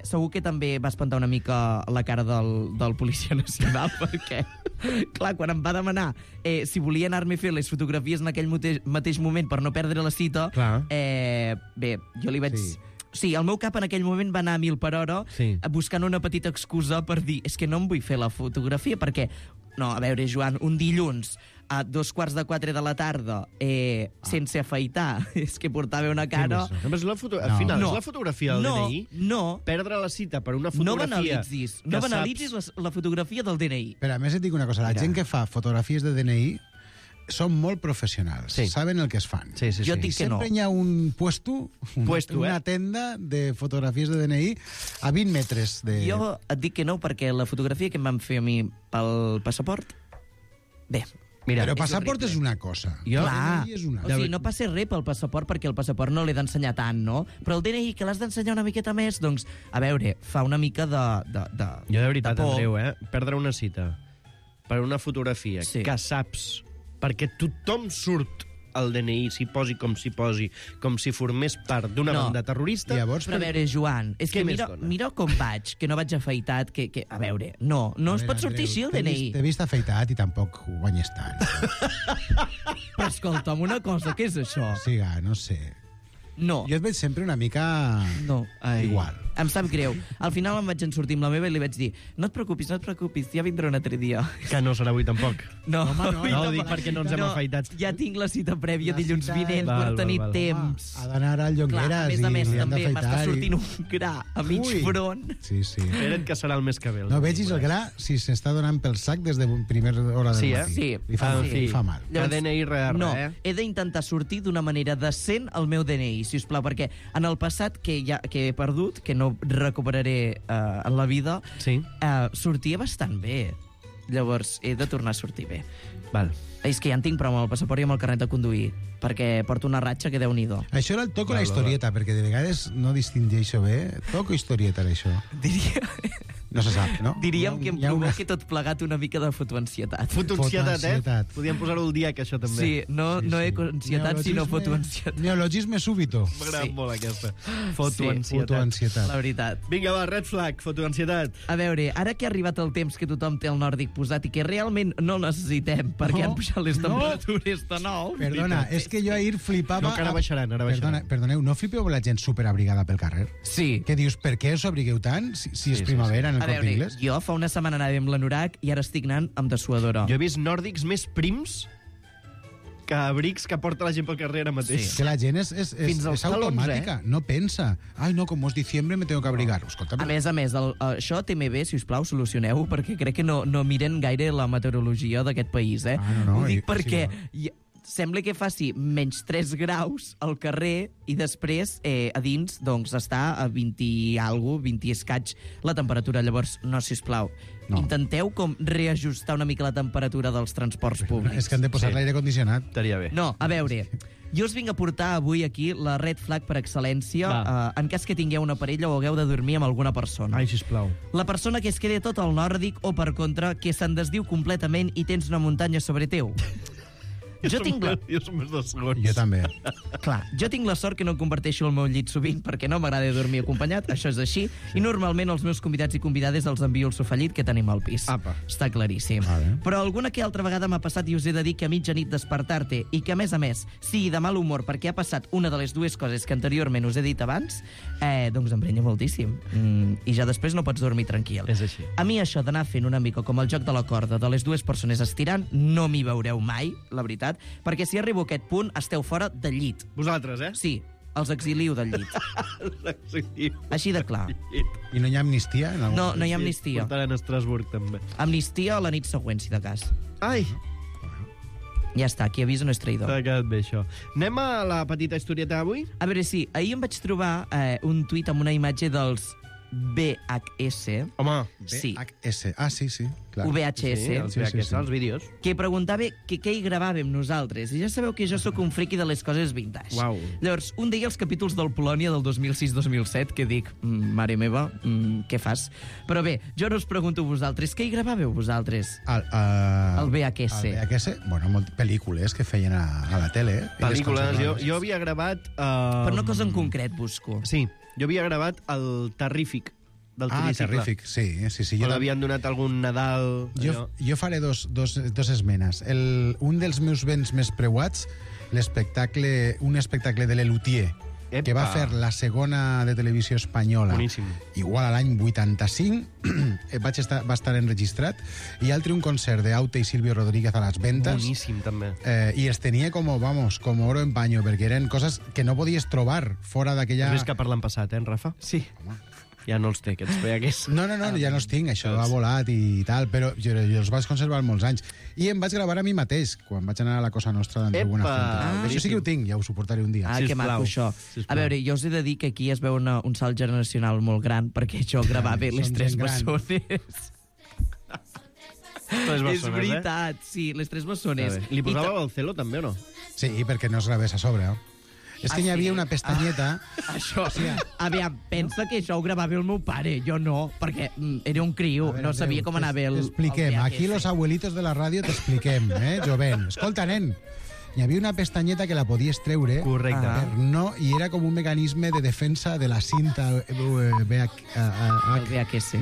[SPEAKER 14] segur que també va espantar una mica la cara del policia nacional, perquè... Clar, quan em va demanar si volia anar-me a fer les fotografies en aquell mateix moment per no perdre la cita, bé, jo li vaig... Sí, el meu cap en aquell moment va anar a 1000 per hora buscant una petita excusa per dir és que no em vull fer la fotografia perquè... No, a veure, Joan, un dilluns a 3:15 de la tarda sense afaitar. És que portava una cara...
[SPEAKER 7] Al final, és la fotografia del DNI?
[SPEAKER 14] No.
[SPEAKER 7] Perdre la cita per una
[SPEAKER 14] No
[SPEAKER 7] fotografia...
[SPEAKER 14] banalitzis la fotografia del DNI.
[SPEAKER 13] Però a més et dic una cosa, la gent que fa fotografies de DNI són molt professionals, saben el que es fan.
[SPEAKER 14] Jo et dic que no.
[SPEAKER 13] Sempre hi ha un una tenda de fotografies de DNI a 20 metres de...
[SPEAKER 14] Jo et dic que no, perquè la fotografia que em van fer a mi pel passaport... Bé,
[SPEAKER 13] mira, però passaport és una cosa.
[SPEAKER 14] Clar,
[SPEAKER 13] DNI és una.
[SPEAKER 14] o sigui, no passa res pel passaport perquè el passaport no l'he d'ensenyar tant, no? Però el DNI, que l'has d'ensenyar una miqueta més, doncs, a veure, fa una mica de
[SPEAKER 7] Jo de veritat, Andreu, perdre una cita per una fotografia que saps, perquè tothom surt el DNI, s'hi posi, com si formés part d'una banda terrorista.
[SPEAKER 13] Llavors,
[SPEAKER 14] però a veure, Joan, és que mira com vaig, que no vaig afaitat, que a veure, no es pot sortir així el DNI.
[SPEAKER 13] T'he vist afaitat i tampoc guanyes tant.
[SPEAKER 14] Però escolta'm, una cosa, què és això?
[SPEAKER 13] Siga, no sé.
[SPEAKER 14] No.
[SPEAKER 13] Jo et veig sempre una mica... igual.
[SPEAKER 14] Em sap greu. Al final em vaig en sortir amb la meva i li vaig dir no et preocupis, ja vindrà un altre dia.
[SPEAKER 7] Que no serà avui tampoc.
[SPEAKER 14] No,
[SPEAKER 7] home, no ho dic perquè no ens hem afaitat.
[SPEAKER 14] Ja tinc la cita prèvia dilluns vinent per tenir temps.
[SPEAKER 13] Ha d'anar al Llongueras
[SPEAKER 14] i li han d'afaitar. M'està
[SPEAKER 13] i...
[SPEAKER 14] sortint un gra a mig front.
[SPEAKER 13] Sí.
[SPEAKER 7] Espera't que serà el mes que ve.
[SPEAKER 13] No vegis el gra si s'està donant pel sac des de primera hora del matí.
[SPEAKER 14] Sí.
[SPEAKER 13] Li fa mal.
[SPEAKER 14] Llavors,
[SPEAKER 7] DNI
[SPEAKER 14] no, he d'intentar sortir d'una manera decent el meu DNI, si us plau, perquè en el passat que he perdut, que no recuperaré en la vida, sortia bastant bé. Llavors, he de tornar a sortir bé.
[SPEAKER 7] Val.
[SPEAKER 14] És que ja en tinc prou amb el passaport i amb el carnet de conduir, perquè porto una ratxa que Déu-n'hi-do.
[SPEAKER 13] Això era el toco la historieta, perquè de vegades no distingeixo bé. Toco historieta era això.
[SPEAKER 14] Diria...
[SPEAKER 13] No se sap, no?
[SPEAKER 14] Diríem que em provoca tot plegat una mica de fotoansietat.
[SPEAKER 7] Fotoansietat, Podríem posar-ho al dia, que això també.
[SPEAKER 14] Sí, no eco-ansietat, sinó fotoansietat.
[SPEAKER 13] Neologisme súbito.
[SPEAKER 7] M'agrada molt aquesta.
[SPEAKER 13] Fotoansietat.
[SPEAKER 14] La veritat.
[SPEAKER 7] Vinga, va, red flag, fotoansietat.
[SPEAKER 14] A veure, ara que ha arribat el temps que tothom té el nòrdic posat i que realment no el necessitem, perquè han pujat les temperatures de nou...
[SPEAKER 13] Perdona, és que jo ahir flipava...
[SPEAKER 7] No, que ara baixaran,
[SPEAKER 13] Perdoneu, no flipeu la gent superabrigada pel carrer?
[SPEAKER 14] Sí.
[SPEAKER 13] Que dius, per què us abrigueu tant si és primavera en el Corte Inglés?
[SPEAKER 14] Jo fa una setmana anava amb l'anorac i ara estic anant amb dessuadora.
[SPEAKER 7] Jo he vist nòrdics més prims que abrics que porta la gent pel carrer ara mateix.
[SPEAKER 13] Sí. Que la gent és automàtica, no pensa. Ai, no, com és diciembre me tengo que abrigar. Escolta,
[SPEAKER 14] a més, això TMB, si us plau, solucioneu-ho, perquè crec que no miren gaire la meteorologia d'aquest país, eh?
[SPEAKER 13] No,
[SPEAKER 14] ho dic perquè... Sembla que faci menys 3 graus al carrer i després a dins doncs està a 20 i alguna cosa, 20 i escaig la temperatura. Llavors, no, sisplau, intenteu com reajustar una mica la temperatura dels transports públics.
[SPEAKER 13] És que han de posar l'aire condicionat.
[SPEAKER 7] Estaria bé.
[SPEAKER 14] No, a veure, jo us vinc a portar avui aquí la red flag per excel·lència en cas que tingueu una parella o hagueu de dormir amb alguna persona.
[SPEAKER 7] Ai, sisplau.
[SPEAKER 14] La persona que es quede tot al nòrdic o, per contra, que se'n desdiu completament i tens una muntanya sobre teu. Jo
[SPEAKER 7] som més de segons.
[SPEAKER 13] Jo també.
[SPEAKER 14] Clar, jo tinc la sort que no comparteixo el meu llit sovint perquè no m'agrada dormir acompanyat, això és així, i normalment els meus convidats i convidades els envio el sofà llit que tenim al pis.
[SPEAKER 7] Apa.
[SPEAKER 14] Està claríssim. Però alguna que altra vegada m'ha passat i us he de dir que a mitjanit despertar-te i que, a més, sigui de mal humor perquè ha passat una de les dues coses que anteriorment us he dit abans, doncs emprenya moltíssim. I ja després no pots dormir tranquil.
[SPEAKER 7] És així.
[SPEAKER 14] A mi això d'anar fent una mica com el joc de la corda de les dues persones estirant, no m'hi veureu mai, la veritat, perquè si arribo a aquest punt esteu fora del llit.
[SPEAKER 7] Vosaltres,
[SPEAKER 14] Sí, els exiliu del llit. Així de clar.
[SPEAKER 13] I no hi ha amnistia?
[SPEAKER 14] No hi ha amnistia.
[SPEAKER 7] Portaran a Estrasburg, també.
[SPEAKER 14] Amnistia a la nit següent, si de cas.
[SPEAKER 7] Ai!
[SPEAKER 14] Ja està, qui avisa no és traïdor.
[SPEAKER 7] T'ha quedat bé, això. Anem a la petita historieta d'avui?
[SPEAKER 14] A veure, sí, ahir em vaig trobar un tuit amb una imatge dels VHS.
[SPEAKER 7] Home,
[SPEAKER 14] sí.
[SPEAKER 13] VHS. Ah, sí, clar.
[SPEAKER 14] VHS.
[SPEAKER 7] Sí, els VHS, els vídeos.
[SPEAKER 14] Que preguntava què hi gravàvem nosaltres. I ja sabeu que jo sóc un friqui de les coses vintage.
[SPEAKER 7] Uau.
[SPEAKER 14] Llavors, un dia els capítols del Polònia del 2006-2007, que dic, mare meva, què fas? Però bé, jo no us pregunto vosaltres, què hi gravàveu vosaltres? El VHS.
[SPEAKER 13] El VHS? Bueno, pel·lícules que feien a la tele.
[SPEAKER 7] Pel·lícules. Jo havia gravat...
[SPEAKER 14] Per una cosa en concret, busco.
[SPEAKER 7] Sí, jo havia gravat el Terrífic del tricicle.
[SPEAKER 13] Terrífic, sí.
[SPEAKER 7] O l'havien donat algun Nadal...
[SPEAKER 13] Jo faré dos esmenes. Un dels meus béns més preuats, un espectacle de Lelutier, que va fer la segona de televisió espanyola.
[SPEAKER 7] Boníssim.
[SPEAKER 13] Igual a l'any 85, va estar enregistrat, i altre un concert d'Aute i Silvio Rodríguez a les Ventas.
[SPEAKER 7] Boníssim, també.
[SPEAKER 13] I es tenia com oro en paño, perquè eren coses que no podies trobar fora d'aquella...
[SPEAKER 7] Has vist que parlen passat, Rafa?
[SPEAKER 14] Sí.
[SPEAKER 7] Ja no els té, aquests pegues.
[SPEAKER 13] No, ja no els tinc, això ha volat i tal, però jo els vaig conservar molts anys. I em vaig gravar a mi mateix, quan vaig anar a la Cosa Nostra d'Andreu Buenafuente. Això sí que ho tinc, ja ho suportaré un dia.
[SPEAKER 14] Que maco, això. A veure, jo us he de dir que aquí es veu un salt generacional molt gran, perquè jo gravava les Tres Bessones. És veritat, sí, les Tres Bessones.
[SPEAKER 7] Li posàveu el celo, també, o no?
[SPEAKER 13] Sí, perquè no es gravés a sobre, És que n'hi havia una pestanyeta...
[SPEAKER 14] Això, aviam, pensa que això ho gravava el meu pare, jo no, perquè era un criu, no sabia com anava el...
[SPEAKER 13] T'expliquem, aquí los abuelitos de la ràdio t'expliquem, jovent. Escolta, nen, hi havia una pestanyeta que la podies treure.
[SPEAKER 7] Correcte.
[SPEAKER 13] I era com un mecanisme de defensa de la cinta
[SPEAKER 14] VHS.